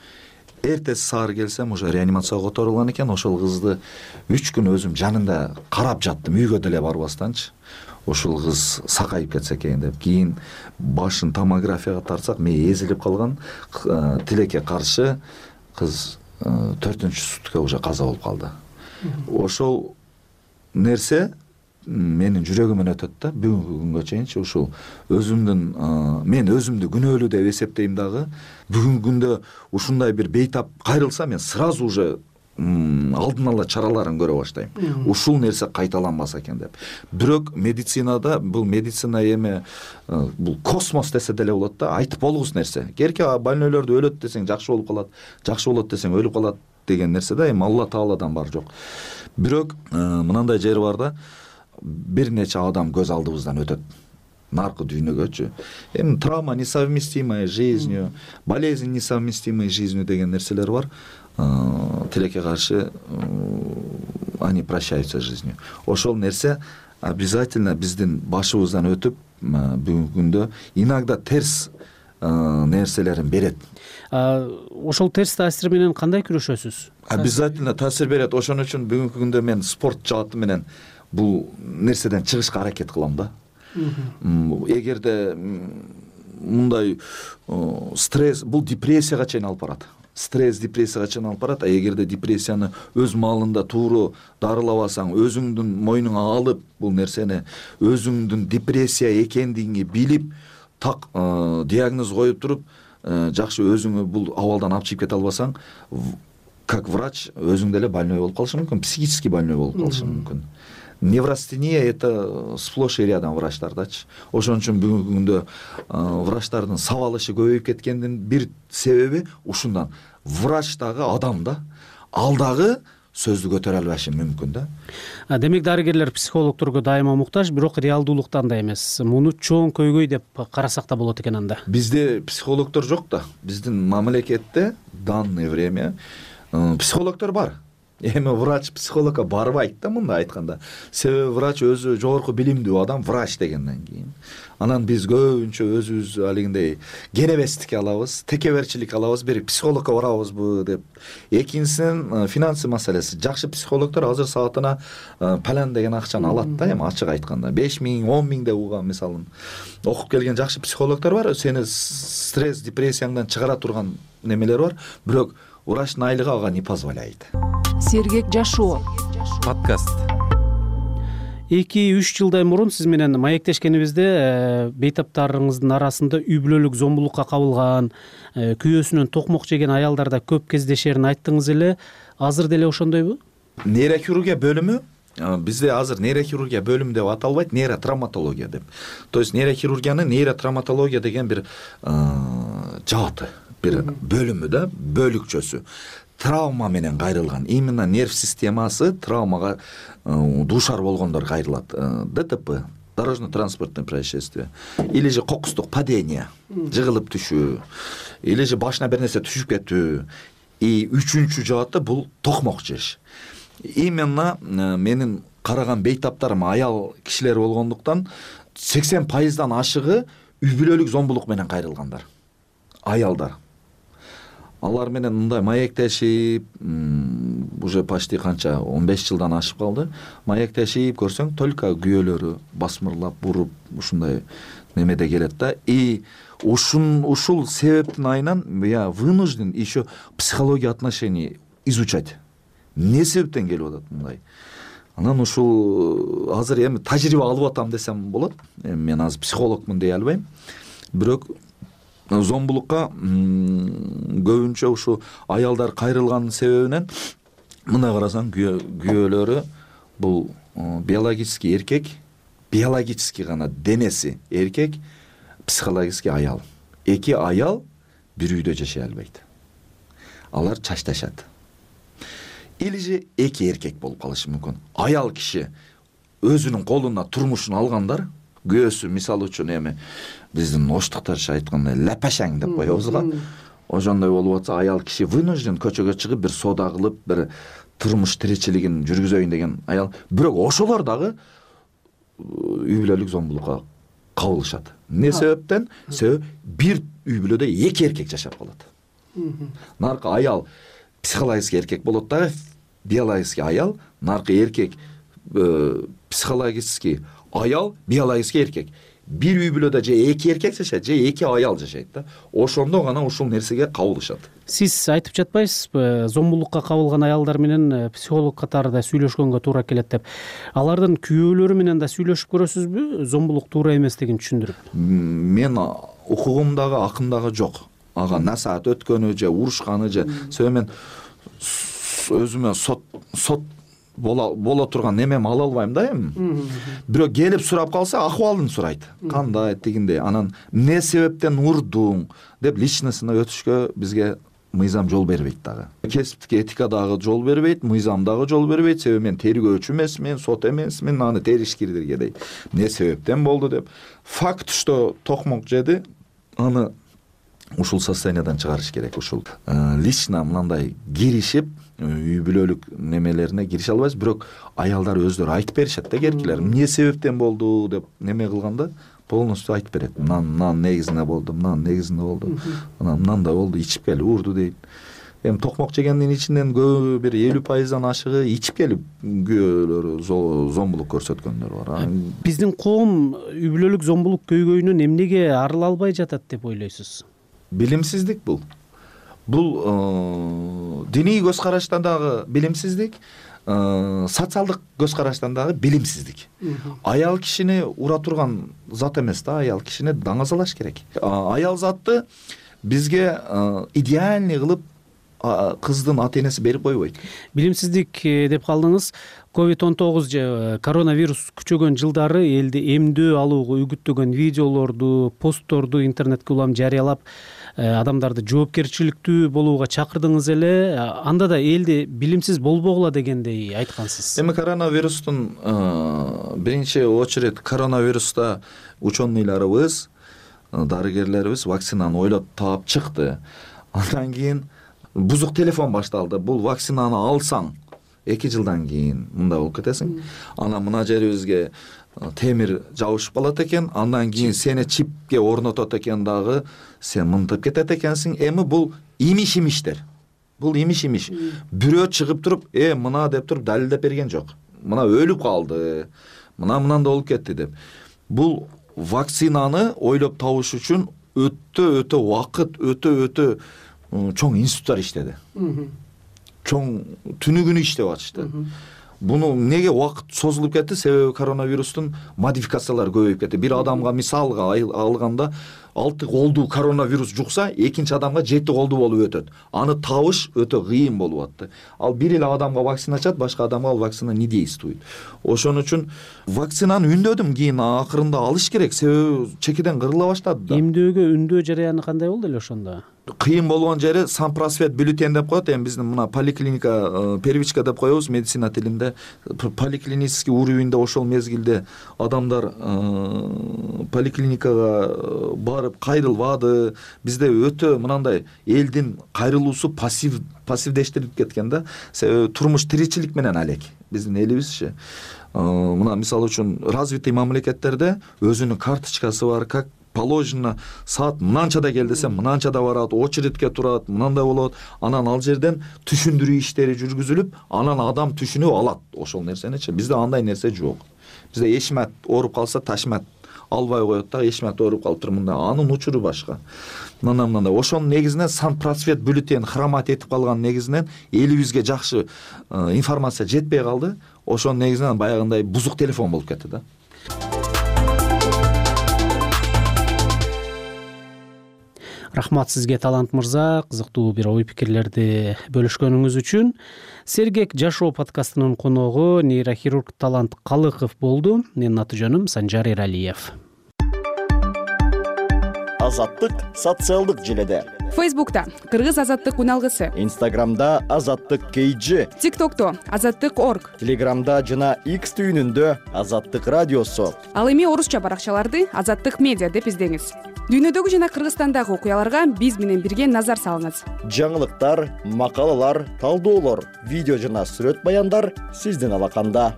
Speaker 14: Эртеси саар келсем, уже реанимацияга которулган экен. Ошол кызды 3 күн өзүм жанында карап жаттым, үйгө деле барбастанчы. Ошол кыз сакайып кетсе экен деп. Кийин башын томографияга тартсак, мээ эзилип калган. Тилекке каршы кыз 4-чү сутка уже каза болуп калды. Ошол нерсе менин жүрөгүмөн өтөт да, бүгүнкү күнгө чейинчи. Ушул өзүмдүн мен өзүмдү күнөөлүү деп эсептейм дагы. Бүгүнкү күндө ушундай бир бейтап кайрылса, мен сразу уже алдын ала чараларын көрө баштайм. Ушул нерсе кайталанбаса экен деп. Бирок медицинада бул медицина эми бул космос десе деле болот да, айтып болгус нерсе. Керке больнойлорду өлөт десең жакшы болуп калат, жакшы болот десең өлүп калат деген нерсе да, эми Алла Тааладан бар жок. Бирок мынандай жери бар да, бир нече адам көз алдыбыздан өтөт. Наркы дүйнөгөчү. Эми травма несовместимая с жизнью, болезнь несовместимая с жизнью деген нерселер бар. Тилекке каршы они прощаются с жизнью. Ошол нерсе обязательно биздин башыбыздан өтүп, бүгүнкү күндө иногда терс нерселерин берет.
Speaker 12: Ошол терс таасир менен кандай күрөшөсүз?
Speaker 14: Обязательно таасир берет. Ошон үчүн бүгүнкү күндө мен спорт жааты менен бул нерседен чыгышка аракет кылам да. Эгерде мындай стресс, бул депрессияга чейин алып барат. Стресс депрессияга чейин алып барат. Эгерде депрессияны өз маалында тууру дарылабасаң, өзүңдүн мойнуңа алып бул нерсени, өзүңдүн депрессия экендигиңи билип, так диагноз коюп туруп, жакшы өзүңө бул абалдан алып чыгып кете албасаң, как врач өзүң деле больной болуп калышың мүмкүн, психически больной болуп калышың мүмкүн. Неврастения это сплошь и рядом врачтардачы. Ошон үчүн бүгүнкү күндө врачтардын сабалышы көбөйүп кеткендин бир себеби ушундан. Врач дагы адам да, ал дагы сөздү көтөрө албашы мүмкүн да.
Speaker 12: Демек дарыгерлер психологдорго дайыма муктаж, бирок реалдуулукта андай эмес. Муну чоң көйгөй деп карасак да болот экен анда.
Speaker 14: Бизде психологдор жок да. Биздин мамлекетте данное время психологдор бар. Эми врач психологко барбайт да, мындай айтканда. Себеби врач өзү жогорку билимдүү адам, врач дегенден кийин. Анан биз көбүнчө өзүбүз алигиндей кенебестик алабыз, текеберчилик алабыз, бир психологко барабызбы деп. Экинчисинен финансы маселеси. Жакшы психологдор азыр саатына палан деген акчаны алат да, эми ачык айтканда 5000, 10.000 деп угам мисалын. Окуп келген жакшы психологдор бар, сени стресс, депрессияңдан чыгара турган немелер бар, бирок врачтын айлыгы ага не позволяет.
Speaker 13: Сергек жашоо
Speaker 2: подкаст.
Speaker 12: 2-3 жылдай мурун сиз менен маектешкенибизде бейтаптарыңыздын арасында үй бүлөлүк зомбулукка кабылган, күйөөсүнөн токмок жеген аялдарда көп кездешерин айттыңыз эле. Азыр деле ошондойбу?
Speaker 14: Нейрохирургия бөлүмү бизде азыр нейрохирургия бөлүмү деп аталбайт, нейротравматология деп. То есть нейрохирургиянын нейротравматология деген бир жааты, бир бөлүмү да, бөлүкчөсү. Травма менен кайрылган, именно нерв системасы травмага дуушар болгондор кайрылат. ДТП, дорожно-транспортное происшествие, или же кокустук падение, жыгылып түшүү, или же башына бир нерсе түшүп кетүү. И үчүнчү жааты бул токмок жеш. Именно менин караган бейтаптарым аял кишилер болгондуктан 80%дан ашыгы үй бүлөлүк зомбулук менен кайрылгандар. Аялдар. Алар менен мындай маектешип, уже почти канча 15 жылдан ашып калды. Маектешип көрсөң, только күйөөлөрү басмырлап, буруп, ушундай немеде келет да. И ушул себептин айынан я вынужден еще психология отношений изучать. Не себептен келип атат мындай? Анан ушул азыр эми тажрыйба алып атам десем болот. Эми мен азыр психологмун дей албайм. Бирок зомбулукка көбүнчө ушу аялдар кайрылганын себебинен мына карасаң күйөөлөрү бул биологический эркек, биологический гана денеси эркек, психологический аял. Эки аял бир үйдө жашай албайт. Алар чачташат. Или же эки эркек болуп калышы мүмкүн. Аял киши өзүнүн колуна турмушун алгандар, күйөөсү мисалы үчүн эми биздин оштуктарча айткандай лапашаң деп коебуз го. Ошондой болуп атса, аял киши вынужден көчөгө чыгып бир соода кылып, бир турмуш тиричилигин жүргүзөйүн деген аял. Бирок ошолор дагы үй бүлөлүк зомбулукка кабылышат. Не себептен? Себеби бир үй бүлөдө эки эркек жашап калат. Наркы аял психологический эркек болот дагы, биологический аял, наркы эркек психологический аял, биологический эркек. Бир үй бүлөдө же эки эркек жашайт, же эки аял жашайт да. Ошондо гана ушул нерсеге кабылышат.
Speaker 12: Сиз айтып жатпайсызбы, зомбулукка кабылган аялдар менен психолог катарында сүйлөшкөнгө туура келет деп. Алардын күйөөлөрү менен да сүйлөшүп көрөсүзбү, зомбулук туура эместигин түшүндүрүп?
Speaker 14: Мен укугумдагы акындагы жок. Ага насаат өткөнү же урушканы же себеби мен өзүмө сот боло турган немем ала албайм да эми. Бирок келип сурап калса, акыбалын сурайт. Кандай тигиндей, анан эмне себептен урдуң деп личностуна өтүшкө бизге мыйзам жол бербейт дагы. Кесиптик этика дагы жол бербейт, мыйзам дагы жол бербейт. Себеби мен тергөөчү эмесмин, сот эмесмин, аны теришкирдирге дейт. Эмне себептен болду деп. Факт, что токмок жеди, аны ушул состояниядан чыгарыш керек. Ушул лично мындай киришип, үй бүлөлүк немелерине кирише албайбыз, бирок аялдар өздөрү айтып беришет да, керкилер. Эмне себептен болду деп неме кылганда полностью айтып берет. Мынан негизинде болду, мынан негизинде болду. Анан мынандай болду, ичип келип урду дейт. Эми токмок жегендин ичинен көбү бир 50%дан ашыгы ичип келип күйөөлөрү зомбулук көрсөткөндөр бар.
Speaker 12: Биздин коом үй бүлөлүк зомбулук көйгөйүнөн эмнеге арыла албай жатат деп ойлойсуз?
Speaker 14: Билимсиздик бул. Бул диний көз караштан дагы билимсиздик, социалдык көз караштан дагы билимсиздик. Аял кишини ура турган зат эмес да, аял кишини даңазалаш керек. Аял затты бизге идеальный кылып кыздын ата энеси берип койбойт.
Speaker 12: Билимсиздик деп калдыңыз. COVID-19 же коронавирус күчөгөн жылдары элди эмдөө алууга үгүттөгөн видеолорду, постторду интернетке улам жарыялап, адамдарды жоопкерчиликтүү болууга чакырдыңыз эле. Анда да элди билимсиз болбогула дегендей айткансыз.
Speaker 14: Эми коронавирустун биринчи очередь коронавируста ученыйларыбыз, дарыгерлерибиз вакцинаны ойлоп таап чыкты. Андан кийин бузук телефон башталды. Бул вакцинаны алсаң 2 жылдан кийин мындай болуп кетесиң. Анан мына жерибизге темир жабышып калат экен. Андан кийин сени чипке орнотот экен дагы, сен мынтып кетет экенсиң. Эми бул имиш-имиштер. Бул имиш-имиш. Бирөө чыгып туруп, мына деп туруп далилдеп берген жок. Мына өлүп калды. Мынандай болуп кетти деп. Бул вакцинаны ойлоп табыш үчүн өтө убакыт, өтө чоң институттар иштеди. Чоң түнү күнү иштеп атышты. Буну неге убакыт созулуп кетти? Себеби коронавирустун модификациялары көбөйүп кетти. Бир адамга мисалга алганда 6 колдуу коронавирус жукса, экинчи адамга 7 колдуу болуп өтөт. Аны табыш өтө кыйын болуп атты. Ал бир эле адамга вакцина чат, башка адамга ал вакцина не действует. Ошон үчүн вакцинаны үндөдүм, кийин акырында алыш керек, себеби чекеден кырыла баштады да.
Speaker 12: Эмдөөгө үндөө жараяны кандай болду эле ошондо?
Speaker 14: Кыйын болгон жери санпросвет бюллетень деп коет. Эми биздин мына поликлиника, первичка деп коебуз медицина тилинде. Поликлинический уровеньде ошол мезгилде адамдар поликлиникага барып кайрылбады. Бизде өтө мынандай элдин кайрылуусу пассивдештирип кеткен да. Себеби турмуш тиричилик менен алек. Биздин элибизчи. Мына мисалы үчүн развитый мамлекеттерде өзүнүн карточкасы бар, как положено, саат мынанчада кел десе мынанчада барат, очередке турат, мынандай болот. Анан ал жерден түшүндүрүү иштери жүргүзүлүп, анан адам түшүнүп алат ошол нерсеничи. Бизде андай нерсе жок. Бизде эшмат ооруп калса ташмат албай коет да, эшмат ооруп калыптыр мындай. Анын учуру башка. Мындай. Ошонун негизинен санпросвет бюллетень хромат этип калган негизинен элибизге жакшы информация жетпей калды. Ошонун негизинен баягындай бузук телефон болуп кетти да.
Speaker 12: Рахмат сизге, Талант мырза, кызыктуу бир ой пикирлерди бөлүшкөнүңүз үчүн. Сергек жашоо подкастынын коногу нейрохирург Талант Калыков болду. Менин аты-жөнүм Санжар Эралиев.
Speaker 15: Азаттык социалдык желеде.
Speaker 16: Фейсбукта Кыргыз азаттык уналгысы.
Speaker 15: Инстаграмда Азаттык KG.
Speaker 16: ТикТокто Азаттык.org.
Speaker 15: Телеграмда жана X түйүнүндө Азаттык радиосу.
Speaker 16: Ал эми орусча баракчаларды Азаттык медиа деп издеңиз. Дүйнөдөгү жана Кыргызстандагы окуяларга биз менен бирге назар салыңыз.
Speaker 15: Жаңылыктар, макалалар, талдоолор, видео жана сүрөт баяндар сиздин алаканда.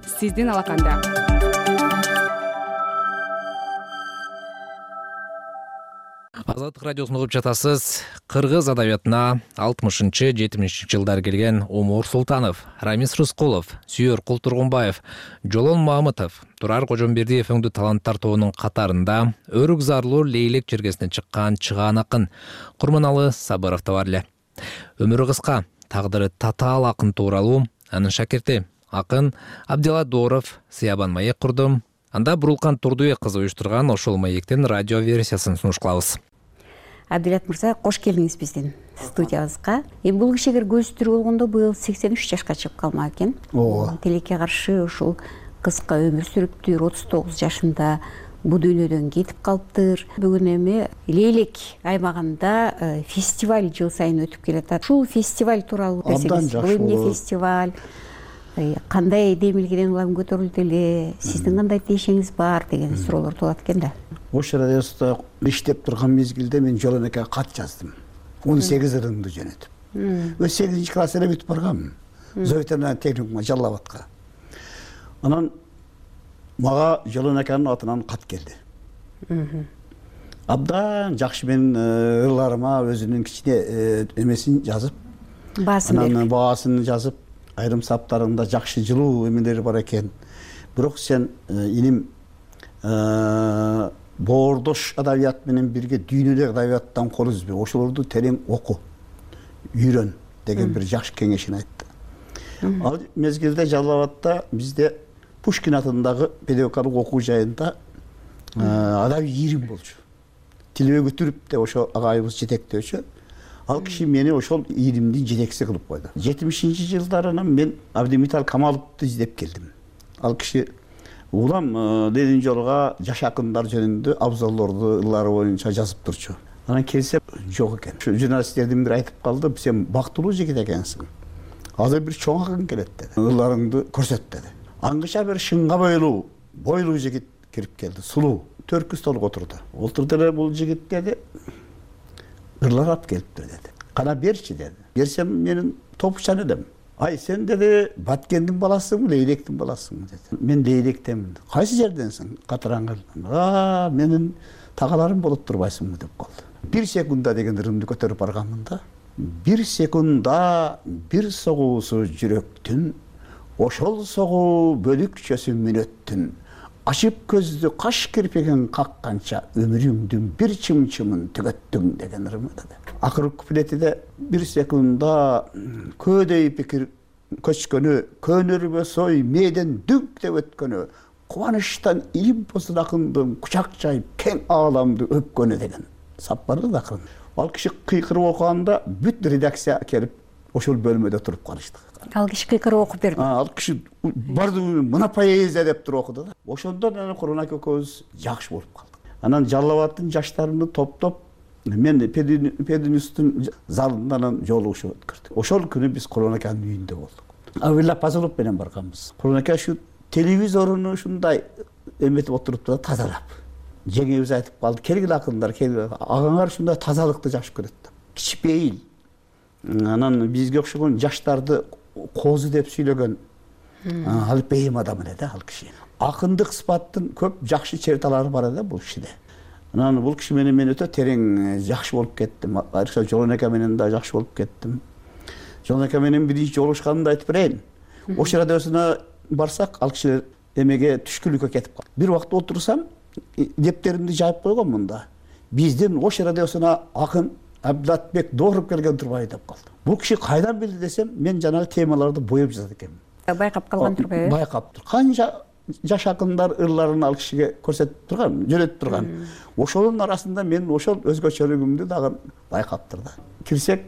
Speaker 1: Азаттык радиосун угуп жатасыз. Кыргыз адабиятына 60-70 жылдар келген Омур Султанов, Рамис Рыскулов, Сүйөр Култургунбаев, Жолон Мамытов, Турар Кожомбердиев өңдүү таланттар тобунун катарында Өрүк зарлуу Лейлек чергесине чыккан чыгаан акын Курманалы Сабыров да бар эле. Өмүрү кыска, тагдыры татаал акын тууралуу анын шакирти акын Абдилла Дооров Сыябан маек курду. Анда Бурулкан Турдубек кызы уюштурган ошол маектин радио версиясын сунуш кылабыз.
Speaker 17: Абдилат мырза, кош келдиңиз биздин студиябызга. Эми бул киши эгер көзү тирүү болгондо быйыл 83 жашка чыгып калмак экен. Тилекке каршы ушул кыска өмүр сүрүптүр, 39 жашында бул дүйнөдөн кетип калыптыр. Бүгүн эми Лейлек аймагында фестиваль жыл сайын өтүп келатат. Ушул фестиваль тууралуу десеңиз, бул эмне фестиваль? Кандай демилгеден улам көтөрүлдү эле? Сиздин кандай тиешеңиз бар деген суроолор туулат экен да.
Speaker 18: Ош радиосунда иштеп турган мезгилде мен Жолонекеге кат жаздым. 18 ырымды жөнөтүп. 8 класс эле бүтүп барганмын. Зоветерный техникумга Жалал Абадка. Анан мага Жолонекенин атынан кат келди. Абдан жакшы менин ырларыма өзүнүн кичине эмесин жазып, баасын жазып, айрым саптарында жакшы жылуу эмелери бар экен. Бирок сен иним боордош адабият менен бирге дүйнөдөгү адабияттан кол үзбөй, ошолорду терең оку, үйрөн деген бир жакшы кеңешин айтты. Ал мезгилде Жалал Абадта бизде Пушкин атындагы педагогикалык окуу жайында адабий ийрим болчу. Тилбек Үтүрүп деп ошо агайыбыз жетектөөчү. Ал киши мени ошол илимдин жетекчиси кылып койду. 70-жылдарынан мен Абдимитал Камаловду издеп келдим. Ал киши улам дедин жолга жаш акындар жөнүндө абзалдарды ыллары боюнча жазып турчу. Анан келсе жок экен. Журналисттердин бири айтып калды, сен бактылуу жигит экенсиң. Азыр бир чоң акын келет деди. Ылларыңды көрсөт деди. Аңгыча бир шыңга бойлуу жигит кирип келди, сулуу. Төркү столго отурду. Отурду эле бул жигит деди. Ырлар алып келиптир деди. Кана берчи деди. Берсем менин топучан элем. Ай сен деди Баткендин баласысыңбы, Лейлектин баласысыңбы деди. Мен Лейлектенмин. Кайсы жерденсиң? Катыраңгыл. Менин тагаларым болуп турбайсыңбы деп калды. 1 секунда деген ырымды көтөрүп барганмын да. 1 секунда бир согуусу жүрөктүн, ошол согуу бөлүкчөсү мүнөттүн. Ачып көздү каш кирпигин какканча өмүрүңдүн бир чымчымын төгөттүң деген ырымы деди. Акыркы куплетиде 1 секунда көөдөй пикир көчкөнү, көнөрбө сой мээден дүңк деп өткөнү, кубанычтан илим посун акындын кучак жайып кең ааламды өпкөнү деген сап бар да акырын. Ал киши кыйкырып окуганда бүт редакция келип ошол бөлмөдө туруп калышты.
Speaker 17: Ал киши кыйкырып окуп берди.
Speaker 18: Ал киши бардыгы мына поэзия деп туруп окуду да. Ошондон анан Курманбек экөөбүз жакшы болуп калдык. Анан Жалал Абадтын жаштарыны топтоп мен Пединюстун залынан жолугушуу өткөрдүк. Ошол күнү биз Курманбек аканын үйүндө болдук. Абилла Пазылов менен барганбыз. Курманбек ака ушу телевизоруну ушундай эметип отурупту да тазалап. Жеңебиз айтып калды, келгиле акындар, келгиле. Агаңар ушундай тазалыкты жакшы көрөт да. Кичпейил. Анан бизге окшогон жаштарды козу деп сүйлөгөн алпейим адам эле да ал киши. Акындык сыпаттын көп жакшы черталары бар эле бул кишиде. Анан бул киши менен мен өтө терең жакшы болуп кеттим. Айрыкча Жолон ака менен да жакшы болуп кеттим. Жолон ака менен биринчи жолугушканымды айтып берейин. Ош радиосуна барсак, ал киши эмеге түшкүлүккө кетип калды. Бир убакта отурсам, дептеримди жайып койгонмун да. Биздин Ош радиосуна акын Абдулатбек Дооров келген турбайбы деп калды. Бул киши кайдан билди десем, мен жанагы темаларды боеп жазат экенмин.
Speaker 17: Байкап калган турбайбы?
Speaker 18: Байкап тур. Канча жаш акындар ырларын ал кишиге көрсөтүп турган, жөнөтүп турган. Ошонун арасында мен ошол өзгөчөлүгүмдү дагы байкаптыр да. Кирсек,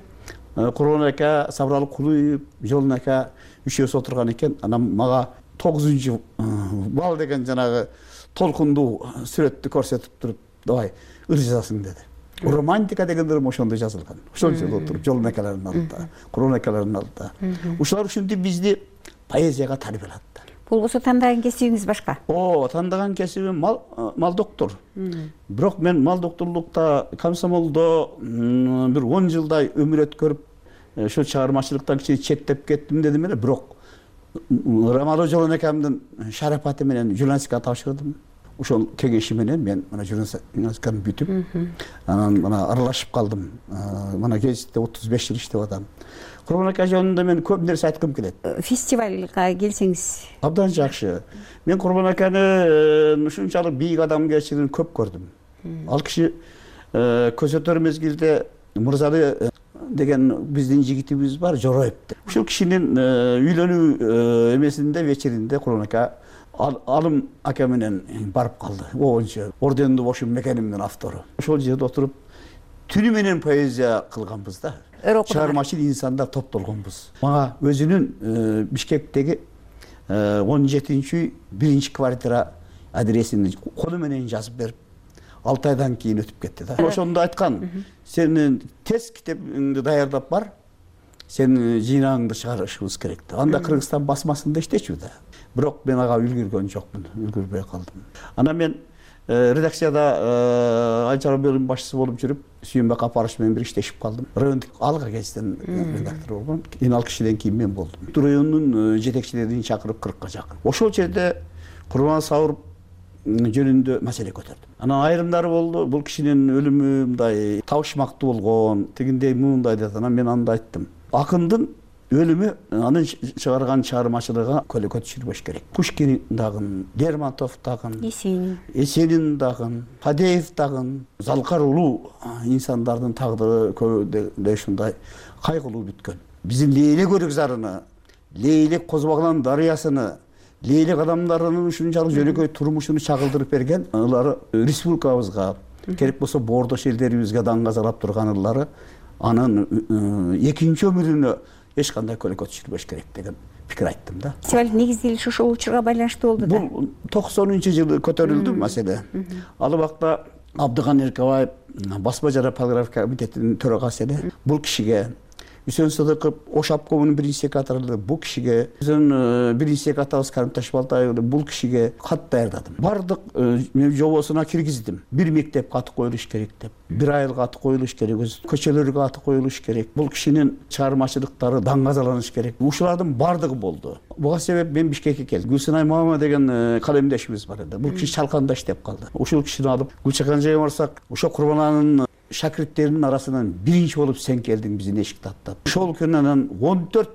Speaker 18: Курманбек ака, Сабыралы Кулуев, Жолон ака үчөөсү отурган экен. Анан мага 9 бал деген жанагы толкундуу сүрөттү көрсөтүп туруп, "Давай, ыр жазасың" деди. Романтика деген ырым ошондо жазылган. Ошол жерде отуруп, Жолон акалардын алдында, Курманбек акалардын алдында. Ушулар ушинтип бизди поэзияга тарбиялатты.
Speaker 17: Болбосо тандаган кесибиңиз башка?
Speaker 18: Тандаган кесибим мал доктор. Бирок мен мал докторлукта, комсомолдо бир 10 жылдай өмүр өткөрүп, ошо чыгармачылыктан кичине четтеп кеттим дедим эле, бирок Рамазан Жолон акамдын шарапаты менен журналистикага тапшырдым. Ошол кеңеши менен мен мына журналистиканы бүтүп, анан мына аралашып калдым. Мына гезитте 35 жыл иштеп атам. Курманбек ака жөнүндө мен көп нерсе айткым келет.
Speaker 17: Фестивалга келсеңиз
Speaker 18: абдан жакшы. Мен Курманбек аканы ушунчалык бийик адамгерчилигин көп көрдүм. Ал киши көзөтөр мезгилде Мырзалы деген биздин жигитибиз бар, Жороев. Ушул кишинин үйлөнүү эмесинде вечеринде Курманбек ака Алым ака менен барып калды. Оончу ордендүү бошум мекенимдин автору. Ошол жерде отуруп түнү менен поэзия кылганбыз да. Чыгармачыл инсандар топтолгонбуз. Мага өзүнүн Бишкектеги 17-үй 1 квартира адресин колу менен жазып берип, 6 айдан кийин өтүп кетти да. Ошондо айткан, сенин тез китебиңди даярдап бар, сенин жыйнагыңды чыгарышыбыз керек. Анда Кыргызстан басмасында иштечү да. Бирок мен ага үлгүргөн жокмун, үлгүрбөй калдым. Анан мен редакцияда Айчара бөлүм башчысы болуп жүрүп, Сүйөнбек Апарович менен бир иштешип калдым. Райондук Алга гезитинин редактору болгом. Ал кишиден кийин мен болдум. Райондун жетекчилерин чакырып 40ка жакын. Ошол жерде Курман Сауыр жөнүндө маселе көтөрдүм. Анан айрымдары болду, бул кишинин өлүмү мындай табышмактуу болгон, тигиндей мындай деп, анан мен анда айттым. Акындын өлүмү анын чыгарган чыгармачылыгына көлөкө түшүрбөш керек. Пушкин дагы, Лермонтов дагы, Есенин дагы, Фадеев дагы, Залкар улуу инсандардын тагдыры көбү ушундай кайгылуу бүткөн. Биздин Лейлек өрүкзарыны, Лейлек Козбагылан дарыясыны, Лейлек адамдарынын ушунчалык жөнөкөй турмушуну чагылдырып берген ылары республикабызга, керек болсо бордош элдерибизге даңгазалап турган ылары анын экинчи өмүрүнө эч кандай көйгөй түшүрбөш керек деген пикир айттым да.
Speaker 17: Фестиваль негизделиши ошол учурга байланыштуу болду да.
Speaker 18: Бул 90-жылы көтөрүлдү маселе. Ал убакта Абдыган Эркебаев басма жана полиграфия комитетинин төрагасы эле. Бул кишиге Үсөн Сыдыков Ош обкомунун биринчи секретары, бул кишиге биздин биринчи секретарыбыз Карим Ташбалтаев бул кишиге кат даярдадым. Бардык мен жобосуна киргиздим. Бир мектепке аты коюлуш керек деп, бир айылга аты коюлуш керек, көчөлөргө аты коюлуш керек. Бул кишинин чыгармачылыктары даңгазаланыш керек. Ушулардын бардыгы болду. Буга себеп мен Бишкекке келдим. Гүлсынай Мама деген калемдешибиз бар эле. Бул киши чалканда иштеп калды. Ушул кишини алып Гүлчакан жайга барсак, ошо Курбананын шакирттеринин арасынан биринчи болуп сен келдиң биздин эшикти аттап. Ошол күнү анан 14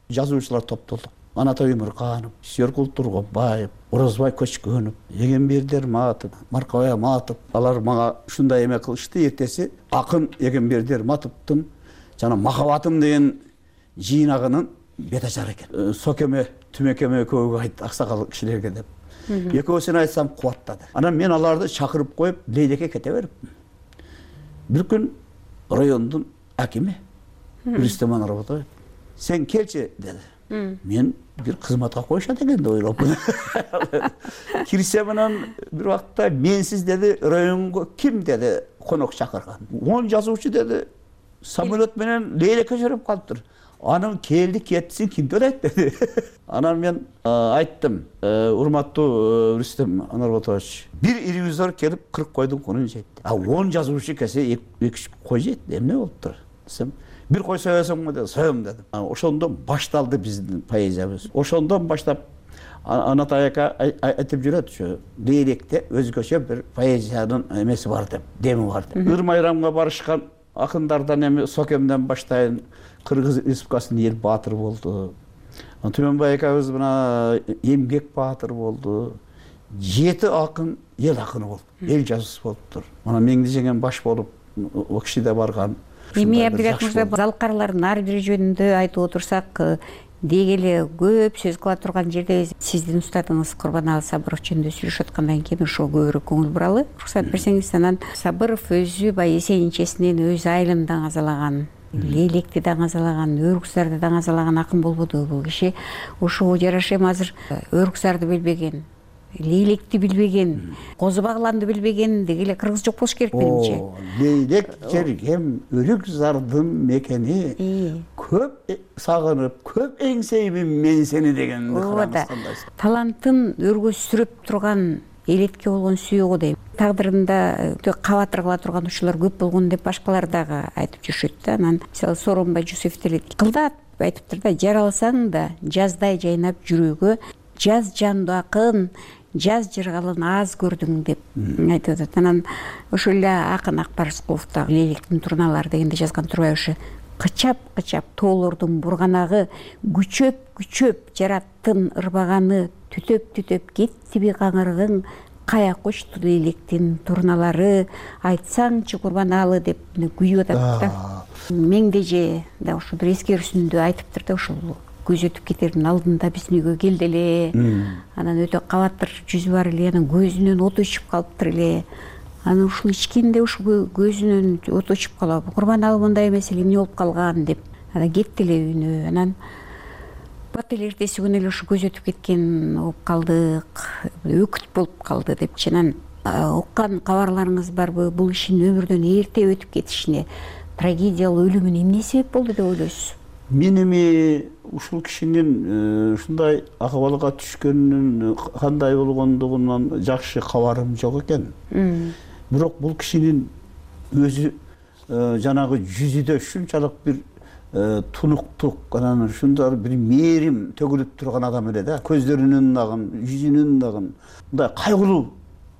Speaker 18: жазуучулар топтолдук. Анатолий Өмүрканов, Сүйөркул Тургонбаев, Орозбай Көчкөнов, Эгемберди Матов, Маркабай Аматов. Алар мага ушундай эме кылышты. Эртеси акын Эгемберди Матовдун жана Махабатым деген жыйнагынын бет ажары экен. Сокеме, Түмекеме экөөгө айт, аксакал кишилерге деп. Экөөсүн айтсам кубаттады. Анан мен аларды чакырып коюп, Лейлекке кете бериптим. Бир күн райондун акими Рустем Анарбатов сен келчи деди. Мен бир кызматка коюшат экен деп ойлопмун. Кирсем анан бир убакта менсиз деди, районго ким деди конок чакырган. 10 жазуучу деди, самолет менен Лейлекке жүрүп калыптыр. Анын келди кетсин ким төлөйт деди. Анан мен айттым, урматтуу Рустем Анарбатович, бир ревизор келип 40 койдун кунун жейт. 10 жазуучу келсе 2 кой жейт. Эмне болуптур десем, бир кой соесоңбу деди. Соем дедим. Ошондон башталды биздин поэзиябыз. Ошондон баштап Анатай ака айтып жүрөт, ушу Лейлекте өзгөчө бир поэзиянын эмеси бар деп, деми бар деп. Ыр-майрамга барышкан акындардан эми Сокемден баштайын Кыргыз Республикасынын эл баатыры болду. Түмөнбай акабыз мына эмгек баатыры болду. 7 акын эл акыны болду. Эл жазуучусу болуптур. Мына Меңди жеңен баш болуп, о киши да барган.
Speaker 17: Эми Абдырахман мырза, залкарлардын ар бири жөнүндө айтып отурсак, деги эле көп сөз кыла турган жерде сиздин устатыңыз Курбаналы Сабыров жөнүндө сүйлөшүп аткандан кийин ошого көбүрөөк көңүл буралы. Уруксат берсеңиз, анан Сабыров өзү баягы эсен-ичесинен өз айылын даңазалаган, Лейлекти даңазалаган, Өрүксарды даңазалаган акын болбоду бул киши. Ошого жараша эми азыр Өрүксарды билбеген, Лейлекти билбеген, Козу Багланды билбеген деги эле кыргыз жок болуш керек менимче.
Speaker 18: Лейлек жергем Өрүксардын мекени, көп сагынып, көп эңсейбин мен сени деген
Speaker 17: талантын өргөзүрүп турган элетке болгон сүйөгү дейм. Тагдырында кабатыр кыла турган учурлар көп болгон деп башкалар дагы айтып жүрүшөт да. Анан мисалы Сооронбай Жусупов деле кылдат айтыптыр да, жаралсаң да жаздай жайнап жүрөгө, жаз жандуу акын, жаз жыргалын аз көрдүң деп айтып атат. Анан ошол эле акын Акбар Рыскулов да Лейлектин турналары дегенде жазган турбай, ошо кычап тоолордун бурганагы, күчөп жараттын ырбаганы, түтөп кеттиби каңырыгың, кая кочту Лейлектин турналары, айтсаңчы Курбаналы деп күйүп атат да. Меңдеже да ошо бир эскерүүсүндө айтыптыр да, ошол көз өтүп кетердин алдында биздин үйгө келди эле. Анан өтө кабатыр жүзү бар эле, анан көзүнөн от өчүп калыптыр эле. Анан ушул ичкенде ушул көзүнөн от өчүп калып, Курбаналы мындай эмес эле, эмне болуп калган деп анан кетти эле үйүнө. Анан бат эле эртеси күнү эле ушу көз өтүп кеткен болуп калдык, өкүт болуп калды депчи. Анан уккан кабарларыңыз барбы, бул кишинин өмүрдөн эрте өтүп кетишине, трагедиялуу өлүмүнө эмне себеп болду деп ойлойсуз?
Speaker 18: Мен эми ушул кишинин ушундай акыбалга түшкөнүнүн кандай болгондугунан жакшы кабарым жок экен. Бирок бул кишинин өзү жанагы жүзүдө ушунчалык бир тунуктук, анан ушундай бир мээрим төгүлүп турган адам эле да. Көздөрүнүн дагы, жүзүнүн дагы мындай кайгылуу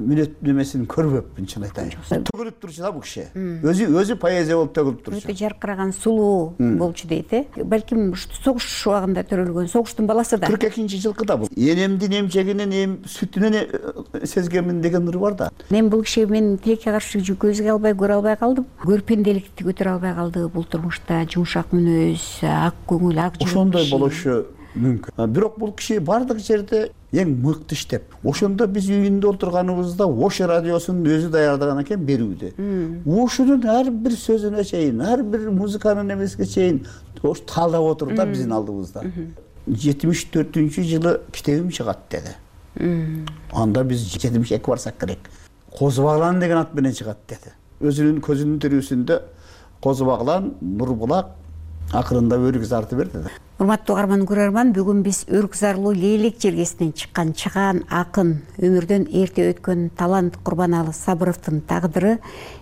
Speaker 18: мүнөт немесин көрбөпмүн, чын айтайын. Төгүлүп турчу да бул киши. Өзү поэзия болуп төгүлүп турчу.
Speaker 17: Өтө жаркыраган сулуу болчу дейт, Балким согуш убагында төрөлгөн, согуштун баласы да.
Speaker 18: 42-жылкы да бул. Энемдин эмчегинен сүтүнөн сезгемин деген ыры бар да.
Speaker 17: Мен бул киши мен тилекке каршы көзгө албай, көрө албай калдым. Көрпенделикти көтөрө албай калды бул турмушта. Жумшак мүнөз, ак көңүл, ак жүрөк.
Speaker 18: Ошондой болушу мүмкүн. Бирок бул киши бардык жерде эң мыкты иштеп, ошондо биз үйүндө отурганыбызда Ош радиосун өзү даярдаган экен берүүдө. Ошонун ар бир сөзүнө чейин, ар бир музыканын эмесине чейин ош талдап отур да биздин алдыбызда. 74-жылы китебим чыгат деди. Анда биз 72 барсак керек. Козу Баглан деген ат менен чыгат деди. Өзүнүн көзүнүн тирүүсүндө Козу Баглан, Нурбулак акырында Өрүк зарты берди.
Speaker 17: Урматтуу угарман көрөрман, бүгүн биз Өрүк зарлуу Лейлек жергесинен чыккан чыгаан акын, өмүрдөн эрте өткөн талант Курбаналы Сабыровдун тагдыры,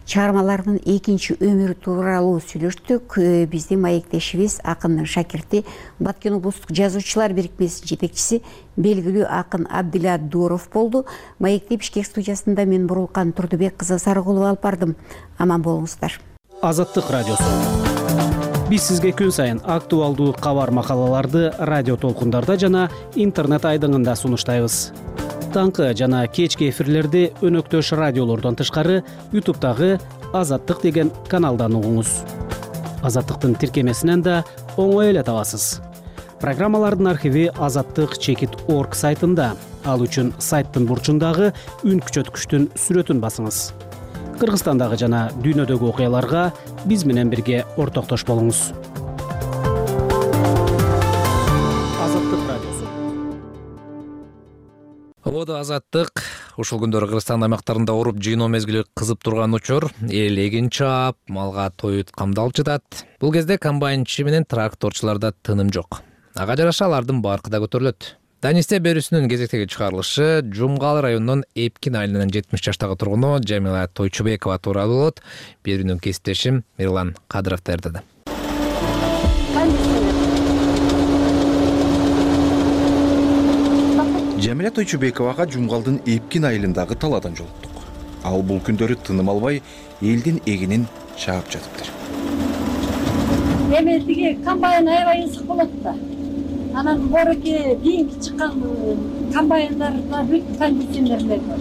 Speaker 17: чыгармаларынын экинчи өмүрү тууралуу сүйлөштүк. Биздин маектешибиз акындын шакирти, Баткен облустук жазуучулар бирикмесинин жетекчиси, белгилүү акын Абдилла Дуров болду. Маекте Бишкек студиясында мен Бурулкан Турдубек кызы Сарыгулова алып бардым. Аман болуңуздар.
Speaker 12: Азаттык радиосу. Биз сизге күн сайын актуалдуу кабар макалаларды радио толкундарда жана интернет айдыңында сунуштайбыз. Таңкы жана кечки эфирлерди өнөктөш радиолордон тышкары YouTube'дагы Азаттык деген каналдан угуңуз. Азаттыктын тиркемесинен да оңой эле табасыз. Программалардын архиви azattyk.org сайтында. Ал үчүн сайттын бурчундагы үн күчөткүчтүн сүрөтүн басыңыз. Кыргызстандагы жана дүйнөдөгү окуяларга биз менен бирге ортоктош болуңуз. Азаттык радиосу.
Speaker 1: Ободо Азаттык. Ушул күндөрү Кыргызстан аймактарында уруп жыйноо мезгили кызып турган учур. Эл эгин чаап, малга тоют камдалып жатат. Бул кезде комбайнчы менен тракторчуларда тыным жок. Ага жараша алардын баркы да көтөрүлөт. Данисте берүүсүнүн кезектеги чыгарылышы Жумгал районунун Эпкин айылынын 70 жаштагы тургуну Жамила Тойчубекова тууралуу болот. Берүүнүн кесиптешим Мирлан Кадыров даярдады.
Speaker 19: Жамила Тойчубековага Жумгалдын Эпкин айылындагы талаадан жолуктук. Ал бул күндөрү тыным албай элдин эгинин чаап жатыптыр.
Speaker 20: Эми тиги комбайн аябай ысык болот да. Анан бороки кийинки чыккан комбайндарда бүт кондиционерлер бар.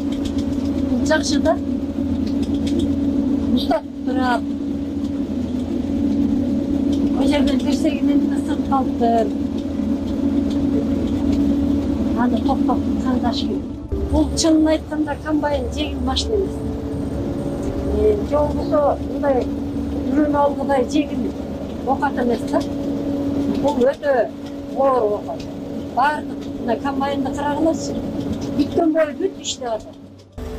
Speaker 20: Жакшы да. Уктатып турат. О жерден берсегинен ысык калыптыр. Аны токтоп кандаш керек. Бул чынын айтканда комбайн жеңил машина эмес. Же болбосо мындай үрүн алгыдай жеңил окат эмес да. Бул өтө оор окат. Баардык мына комбайнды карагылачы. Бүткөн бою бүт иштеп атат.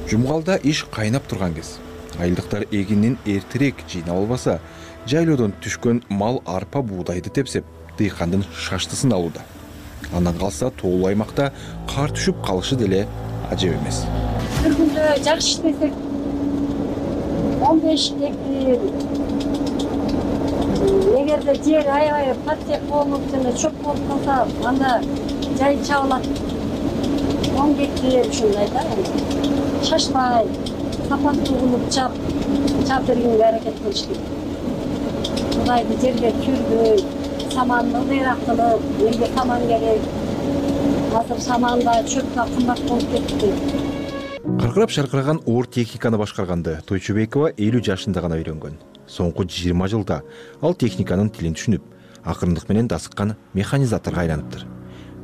Speaker 19: Жумгалда иш кайнап турган кез. Айылдыктар эгинин эртерээк жыйнап албаса, жайлоодон түшкөн мал арпа буудайды тепсеп, дыйкандын шаштысын алууда. Андан калса тоолуу аймакта кар түшүп калышы деле ажеп эмес.
Speaker 20: Бир күндө жакшы иштесек 15 гектар. Эгерде жер аябай паттек болуп жана чөп болуп калса, анда жай чабылат. 10 гектар ушундай да. Шашпай, сапаттуу кылып чап бергенге аракет кылыш керек. Кудайды жерге түрбөй, саманды ылдыйраак кылып, элге саман керек. Азыр саманда чөп да кымбат болуп кетти.
Speaker 19: Кыркырап шаркыраган оор техниканы башкарганды Тойчубекова 50 жашында гана үйрөнгөн. Соңку 20 жылда ал техниканын тилин түшүнүп, акырындык менен дасыккан механизаторго айланыптыр.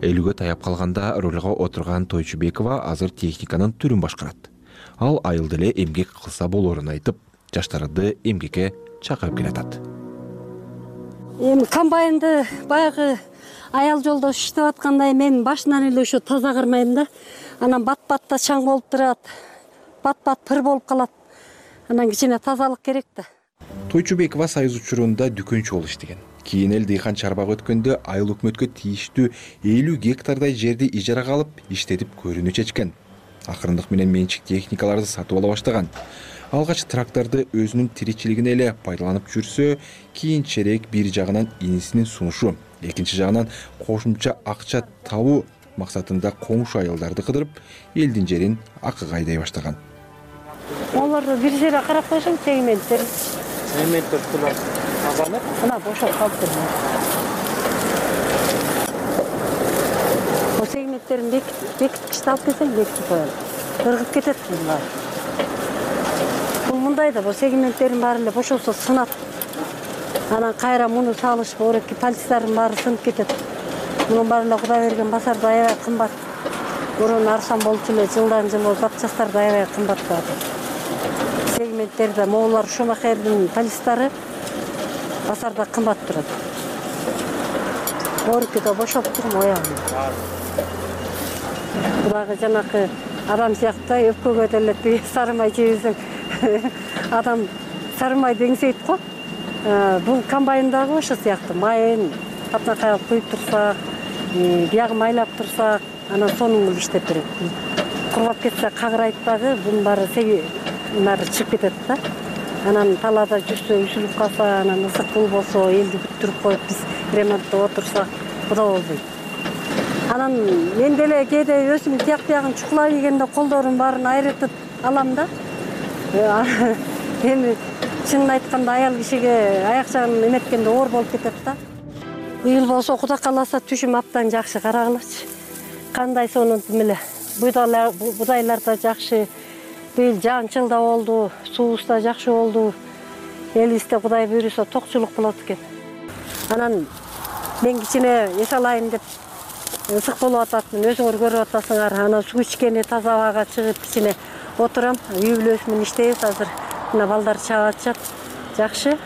Speaker 19: 50-гө таяп калганда рөлгө отурган Тойчубекова азыр техниканын түрүн башкарат. Ал айылда эле эмгек кылса болоорун айтып, жаштарды эмгекке чакырып келатат.
Speaker 20: Эми комбайнды баягы аял жолдош иштеп аткандай мен башынан эле ошо таза кырмайм да. Анан бат-батта чаң болуп турат. Бат-бат пыр болуп калат. Анан кичине тазалык керек да.
Speaker 19: Тойчубекова союз учурунда дүкөнчү болуп иштеген. Кийин эл дыйкан чарбага өткөндө айыл өкмөткө тийиштүү 50 гектардай жерди ижарага алып иштетип көрүүнү чечкен. Акырындык менен менчик техникаларды сатып ала баштаган. Алгач тракторду өзүнүн тиричилигине эле пайдаланып жүрсө, кийинчерээк бир жагынан инисинин сунушу, экинчи жагынан кошумча акча табуу максатында коңшу айылдарды кыдырып, элдин жерин акыга айдай баштаган.
Speaker 20: Оларды бир жерге карап койсоң, сегменттер тазалап, мына бошоп калыптыр. Бул сегменттерин бекиткичти алып келсең, бекитип коелу. Кыргып кетет булар. Бул мындай да, бул сегменттерин баары эле бошосо сынат. Анан кайра муну салыш, ореки пальцтардын баары сынып кетет. Мунун баары эле Кудай берген басарда аябай кымбат. Мурун арзан болчу эле жылдан жылы запчасттар да аябай кымбаттады. Сегменттерде моулар Шумахердин полистары базарда кымбат турат. Оркида бошоп турмун оягым. Дагы жанакы адам сыяктуу өпкөгө деле сары май жебесең адам сары май деңсейт го. Бул комбайн дагы ошо сыяктуу майын катнакай алып куюп турсак, биягы майлап турсак, анан сонун кылып иштеп берет. Кургап кетсе кагырайт дагы, бунун баары чыгып кетет да. Анан талаада жүрсө үзүлүп калса, анан ысык болбосо элди күттүрүп коюп биз ремонттоп отурсак, буда болбойт. Анан мен деле кээде өзүм тияк биягын чукулай дегенде колдорум баарын айрытып алам да. Эми чынын айтканда аял кишиге аяк жагын эметкенде оор болуп кетет да. Быйыл болсо Кудай кааласа түшүм абдан жакшы карагылачы. Кандай сонун эле будайлар да жакшы. Быйыл жаан-чыл да болду, суубуз да жакшы болду. Элибизде Кудай буйруса токчулук болот экен. Анан мен кичине эс алайын деп ысык болуп атат, өзүңөр көрүп атасыңар. Анан суу ичкени таза абага чыгып кичине отурам. Үй бүлөсү менен иштейбиз азыр. Мына балдар чаап атышат. Жакшы.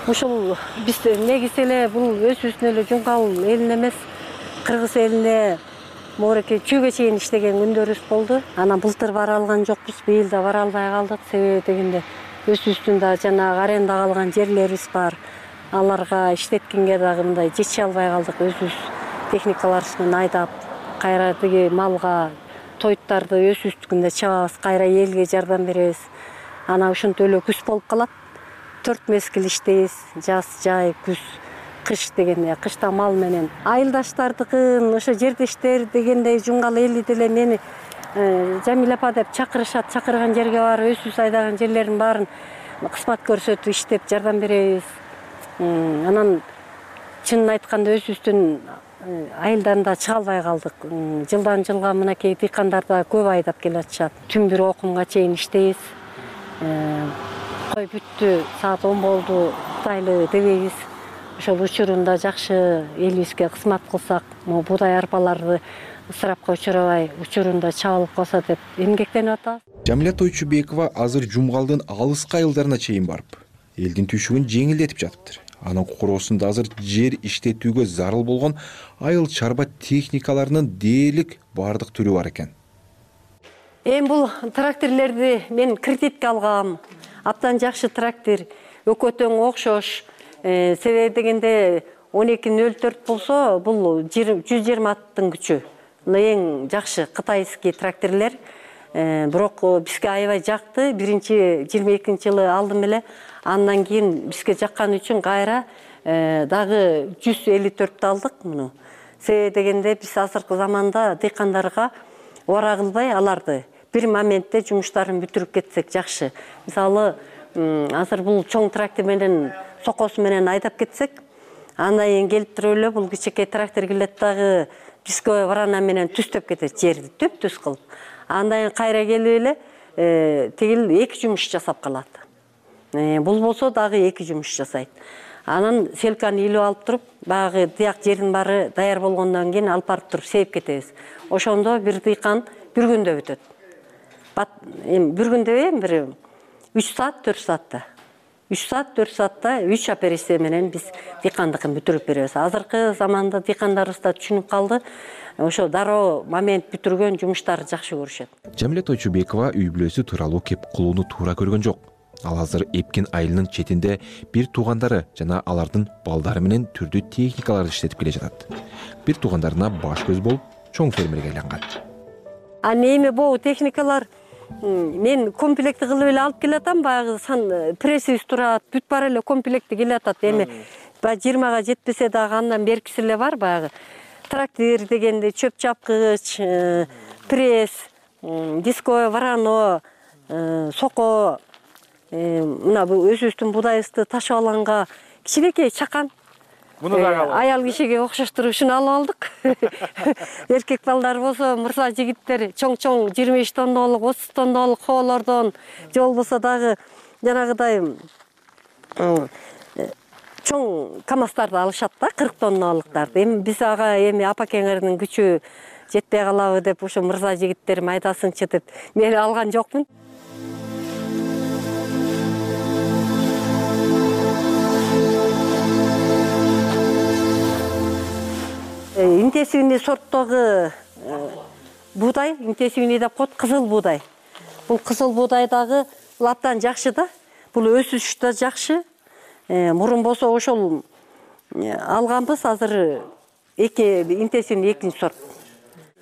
Speaker 20: Ушул биз негизи эле бул өзүбүздүн эле жунгал элин эмес, кыргыз элине моореке чүйгө чейин иштеген күндөрүбүз болду. Анан былтыр бара алган жокпуз, быйыл да бара албай калдык. Себеби дегенде өзүбүздүн да жанагы аренда калган жерлерибиз бар. Аларга иштеткенге дагы мындай жетише албай калдык. Өзүбүз техникаларыбыз менен айдап, кайра тиги малга тоyттарды өзүбүздүкүндө чабабыз, кайра элге жардам беребиз. Анан ошентип эле күз болуп калат. 4 мезгил иштейбиз. Жаз, жай, күз, кыш дегенде, кышта мал менен. Айылдаштардыкын, ошо жердештер дегендей жунгал эли деле мени Жамиля апа деп чакырышат. Чакырган жерге барып, өзүбүз айдаган жерлердин баарын кызмат көрсөтүп иштеп жардам беребиз. Анан чынын айтканда өзүбүздүн айылдан да чыга албай калдык. Жылдан жылга мынакей дыйкандар да көп айдап келе атышат. Түн бир окумга чейин иштейбиз. Кой бүттү, саат 10 болду, кудайлы дебейбиз. Ошол учурунда жакшы элибизге кызмат кылсак, могу будай арпаларды ысырапка учурабай, учурунда чабылып калса деп эмгектенип атабыз.
Speaker 19: Жамиля Тойчубекова азыр жумгалдын алыскы айылдарына чейин барып, элдин түшүгүн жеңилдетип жатыптыр. Анын короосунда азыр жер иштетүүгө зарыл болгон айыл чарба техникаларынын дээрлик бардык түрү бар экен.
Speaker 20: Бул тракторлорду мен кредитке алгам. Абдан жакшы трактор, өкөтөң окшош. Себеби дегенде 1204 болсо, бул 120 аттын күчү. Эң жакшы кытайский тракторлор. Бирок бизге аябай жакты. Биринчи 22-жылы алдым эле. Андан кийин бизге жаккан үчүн кайра дагы 154 алдык муну. Себеби дегенде биз азыркы заманда дыйкандарга ора кылбай аларды бир моментте жумуштарын бүтүрүп кетсек жакшы. Мисалы, азыр бул чоң трактор менен сокосу менен айдап кетсек, андан кийин келип туруп эле бул кичинекей трактор келет дагы дисковый варана менен түстөп кетет жерди, түп-түз кылып. Андан кийин кайра келип эле тигил 2 жумуш жасап калат. Бул болсо дагы 2 жумуш жасайт. Анан селканы илип алып туруп, багы тияк жердин баары даяр болгондон кийин алып барып туруп сейип кетебиз. Ошондо бир дыйкан бир күндө бүтөт. Бир күндө бир 3 саат, 4 саатта. 3 саат, 4 саатта 3 операция менен биз дыйкандыкын бүтүрүп беребиз. Азыркы заманда дыйкандарыбыз да түшүнүп калды. Ошо дароо момент бүтүргөн жумуштарды жакшы көрүшөт.
Speaker 19: Жамиля Тойчубекова үй бүлөсү тууралуу кеп кулууну туура көргөн жок. Ал азыр Эпкин айылынын четинде бир туугандары жана алардын балдары менен түрдүү техникаларды иштетип келе жатат. Бир туугандарына баш көз болуп, чоң фермерге айланган.
Speaker 20: Эми бул техникалар мен комплекти кылып эле алып келатам, баягы прессибиз турат, бүт бар эле комплекти келатат. Эми 20га жетпесе дагы андан беркиси эле бар, баягы трактор дегенде чөп чапкыч, пресс, дисковый варано, соко, мына өзүбүздүн будайыбызды ташып алганга кичинекей чакан. Аял кишиге окшоштуруп ушуну алып алдык. Эркек балдар болсо, мырза жигиттер чоң-чоң 25 тоннолук, 30 тоннолук хоолордон, же болбосо дагы жанагыдай чоң камаздарды алышат да, 40 тонналыктарды. Эми биз ага эми апа-кеңердин күчү жетпей калабы деп ошо мырза жигиттерим айдасыңчы деп мен алган жокмун. Интенсивный сорттогу буудай, интенсивный деп коет, кызыл буудай. Бул кызыл буудайдагы абдан жакшы да. Бул өсүш да жакшы. Мурун болсо ошол алганбыз, азыр интенсивный экинчи сорт.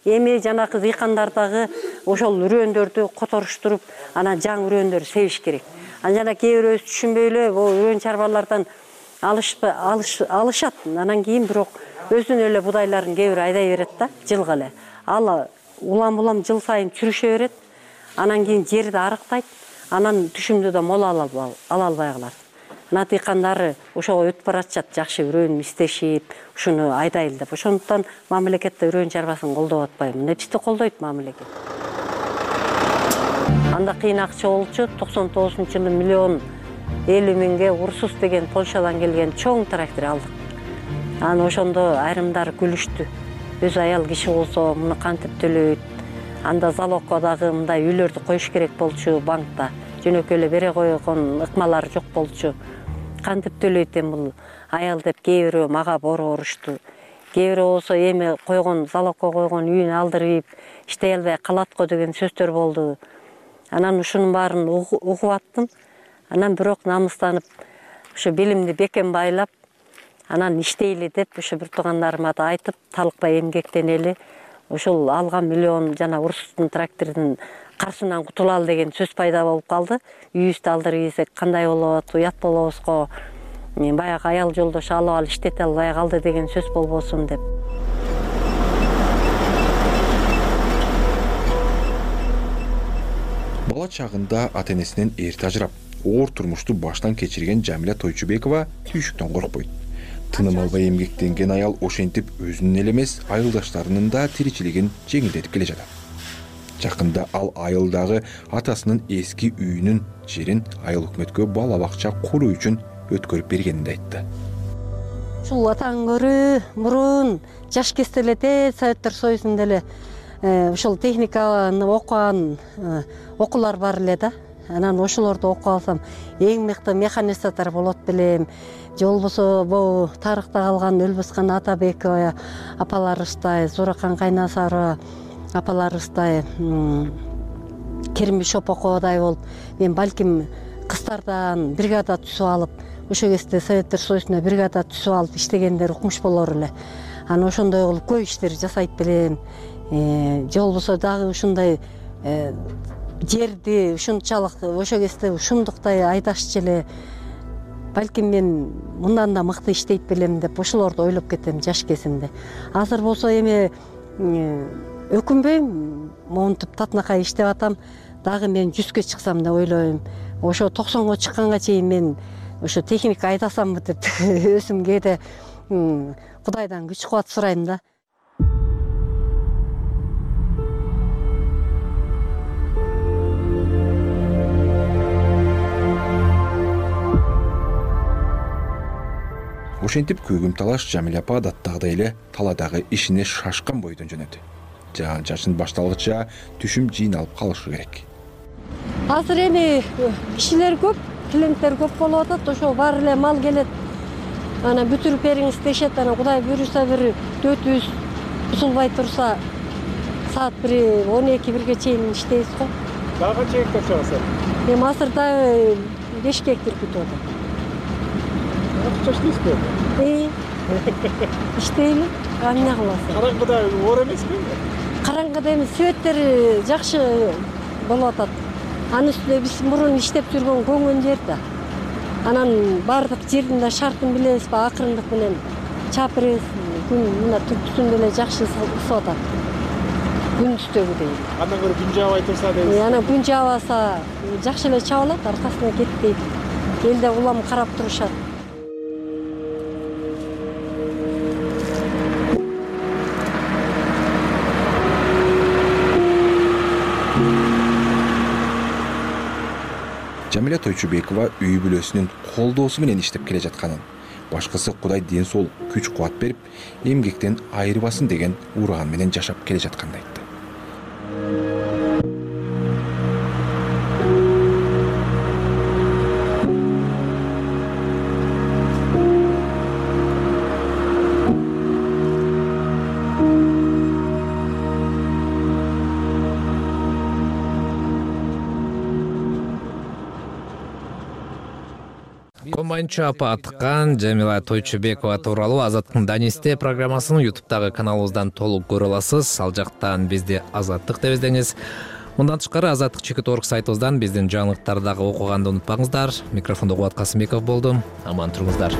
Speaker 20: Эми жанакы дыйкандардагы ошол үрөндөрдү которуштуруп, анан жаңы үрөндөр себиш керек. Жана кээ бирөөбүз түшүнбөй эле үрөн чарбалардан алышат. Анан кийин бирок өзүнүн эле будайларын кээ бири айдай берет да, жылга эле. Ал улам жыл сайын чүрүшө берет. Анан кийин жерди арыктайт. Анан түшүмдү да мол ала албай калат. Анан дыйкандары ошого өтүп баратышат, жакшы үрөн истешип, ушуну айдайлы деп. Ошондуктан мамлекетте үрөн чарбасын колдоп атпайбы. Нечти колдойт мамлекет. Анда кыйын акча болчу, 99-жылы 1,50 миңге Урсус деген Польшадан келген чоң трактор алдык. Анан ошондо айрымдары күлүштү. Өз аял киши болсо муну кантип төлөйт? Анда залогко дагы мындай үйлөрдү коюш керек болчу банкта. Жөнөкөй эле бере койгон ыкмалары жок болчу. Кантип төлөйт эми бул аял деп кээ бирөө мага борушту. Кээ бирөө болсо эми койгон залогко койгон үйүн алдырып, иштей албай калат го деген сөздөр болду. Анан ушунун баарын угуп аттым. Анан бирок намыстанып, ошо белимди бекем байлап, анан иштейли деп ошо бир туугандарыма да айтып, талыкпай эмгектенели. Ошол алган миллион жана Урсустун трактордун каршынан кутулалы деген сөз пайда болуп калды. Үйүбүздү алдырып ийсек кандай болот, уят болобузго. Баягы аял жолдош алып иштете албай калды деген сөз болбосун деп.
Speaker 19: Бала чагында ата-энесинен эрте ажырап, оор турмушту баштан кечирген Жамиля Тойчубекова түйшүктөн коркпойт. Тыным албай эмгектенген аял ошентип өзүнүн эле эмес, айылдаштарынын да тиричилигин жеңилдетип келе жатат. Жакында ал айылдагы атасынын эски үйүнүн жерин айыл өкмөткө бала бакча куруу үчүн өткөрүп бергенин айтты.
Speaker 20: Ушул атаң көрү мурун жаш кезде эле Советтер Союзунда эле ушул техниканы окуган окуулар бар эле да. Анан ошолорду окуп алсам, эң мыкты механизатор болот белем. Же болбосо бул тарыхта калган Өлбөскан Атабекова апаларыбыздай, Зуракан Кайнасарова апаларыбыздай, Керимби Шопоковадай болуп, мен балким кыздардан бригада түзүп алып, ошол кезде Советтер Союзуна бригада түзүп алып иштегендер укмуш болор эле. Анан ошондой кылып көп иштер жасайт белем. Же болбосо дагы ушундай жерди ушунчалык ошол кезде ушундуктай айдашчу эле. Балким мен мындан да мыкты иштейт белем деп ошолорду ойлоп кетем жаш кезимде. Азыр болсо эми өкүнбөйм, монтип татынакай иштеп атам, дагы мен 100ге чыксам деп ойлойм. Ошо 90га чыкканга чейин мен ошо техника айдасамбы деп өзүм кээде Кудайдан күч кубат сурайм да.
Speaker 19: Ошентип көгүм талаш Жамиля апа адаттагыдай эле таладагы ишине шашкан бойдон жөнөдү. Жаан-чачын башталгыча түшүм жыйналып калышы керек.
Speaker 20: Азыр эми кишилер көп, клиенттер көп болуп атат, ошо баары эле мал келет. Ана бүтүрүп бериңиз дешет, ана Кудай буйруса бир дөтүбүз бузулбай турса, саат 12-1ге чейин иштейбиз го.
Speaker 12: Дагы канча гектар чыгасыз?
Speaker 20: Эми азыр дагы 5 гектар күтүп атат.
Speaker 12: Иштейсизби?
Speaker 20: Иштейли, эмне кыласыз?
Speaker 12: Караңгыда оор эмеспи?
Speaker 20: Караңгыда эми светтери жакшы болуп атат. Анын үстүнө биз мурун иштеп жүргөн көңөн жер да. Анан баардык жердин да шартын билебизби, акырындык менен чаап беребиз. Күн мына түптүсүндө эле жакшы ысып атат. Күндүздөгүдөй.
Speaker 12: Андан көрө күн жаабай турса дейсиз.
Speaker 20: Анан күн жаабаса жакшы эле чабылат, аркасына кетпейт. Элде улам карап турушат.
Speaker 19: Жамиля Тойчубекова үй бүлөсүнүн колдоосу менен иштеп келе жатканын, башкысы Кудай ден соолук, күч кубат берип, эмгектен айырбасын деген ураан менен жашап келе жатканын айтты.
Speaker 1: Команча апаткан Жамила Тойчубекова тууралуу Азаттыктын Данисте программасынын YouTube'дагы каналыбыздан толук көрө аласыз. Ал жактан бизди Азаттык деп издеңиз. Мындан тышкары azattik.org сайтыбыздан биздин жаңылыктарды дагы окуганды унутпаңыздар. Микрофондо Кубат Касымбеков болдум. Аман туруңуздар.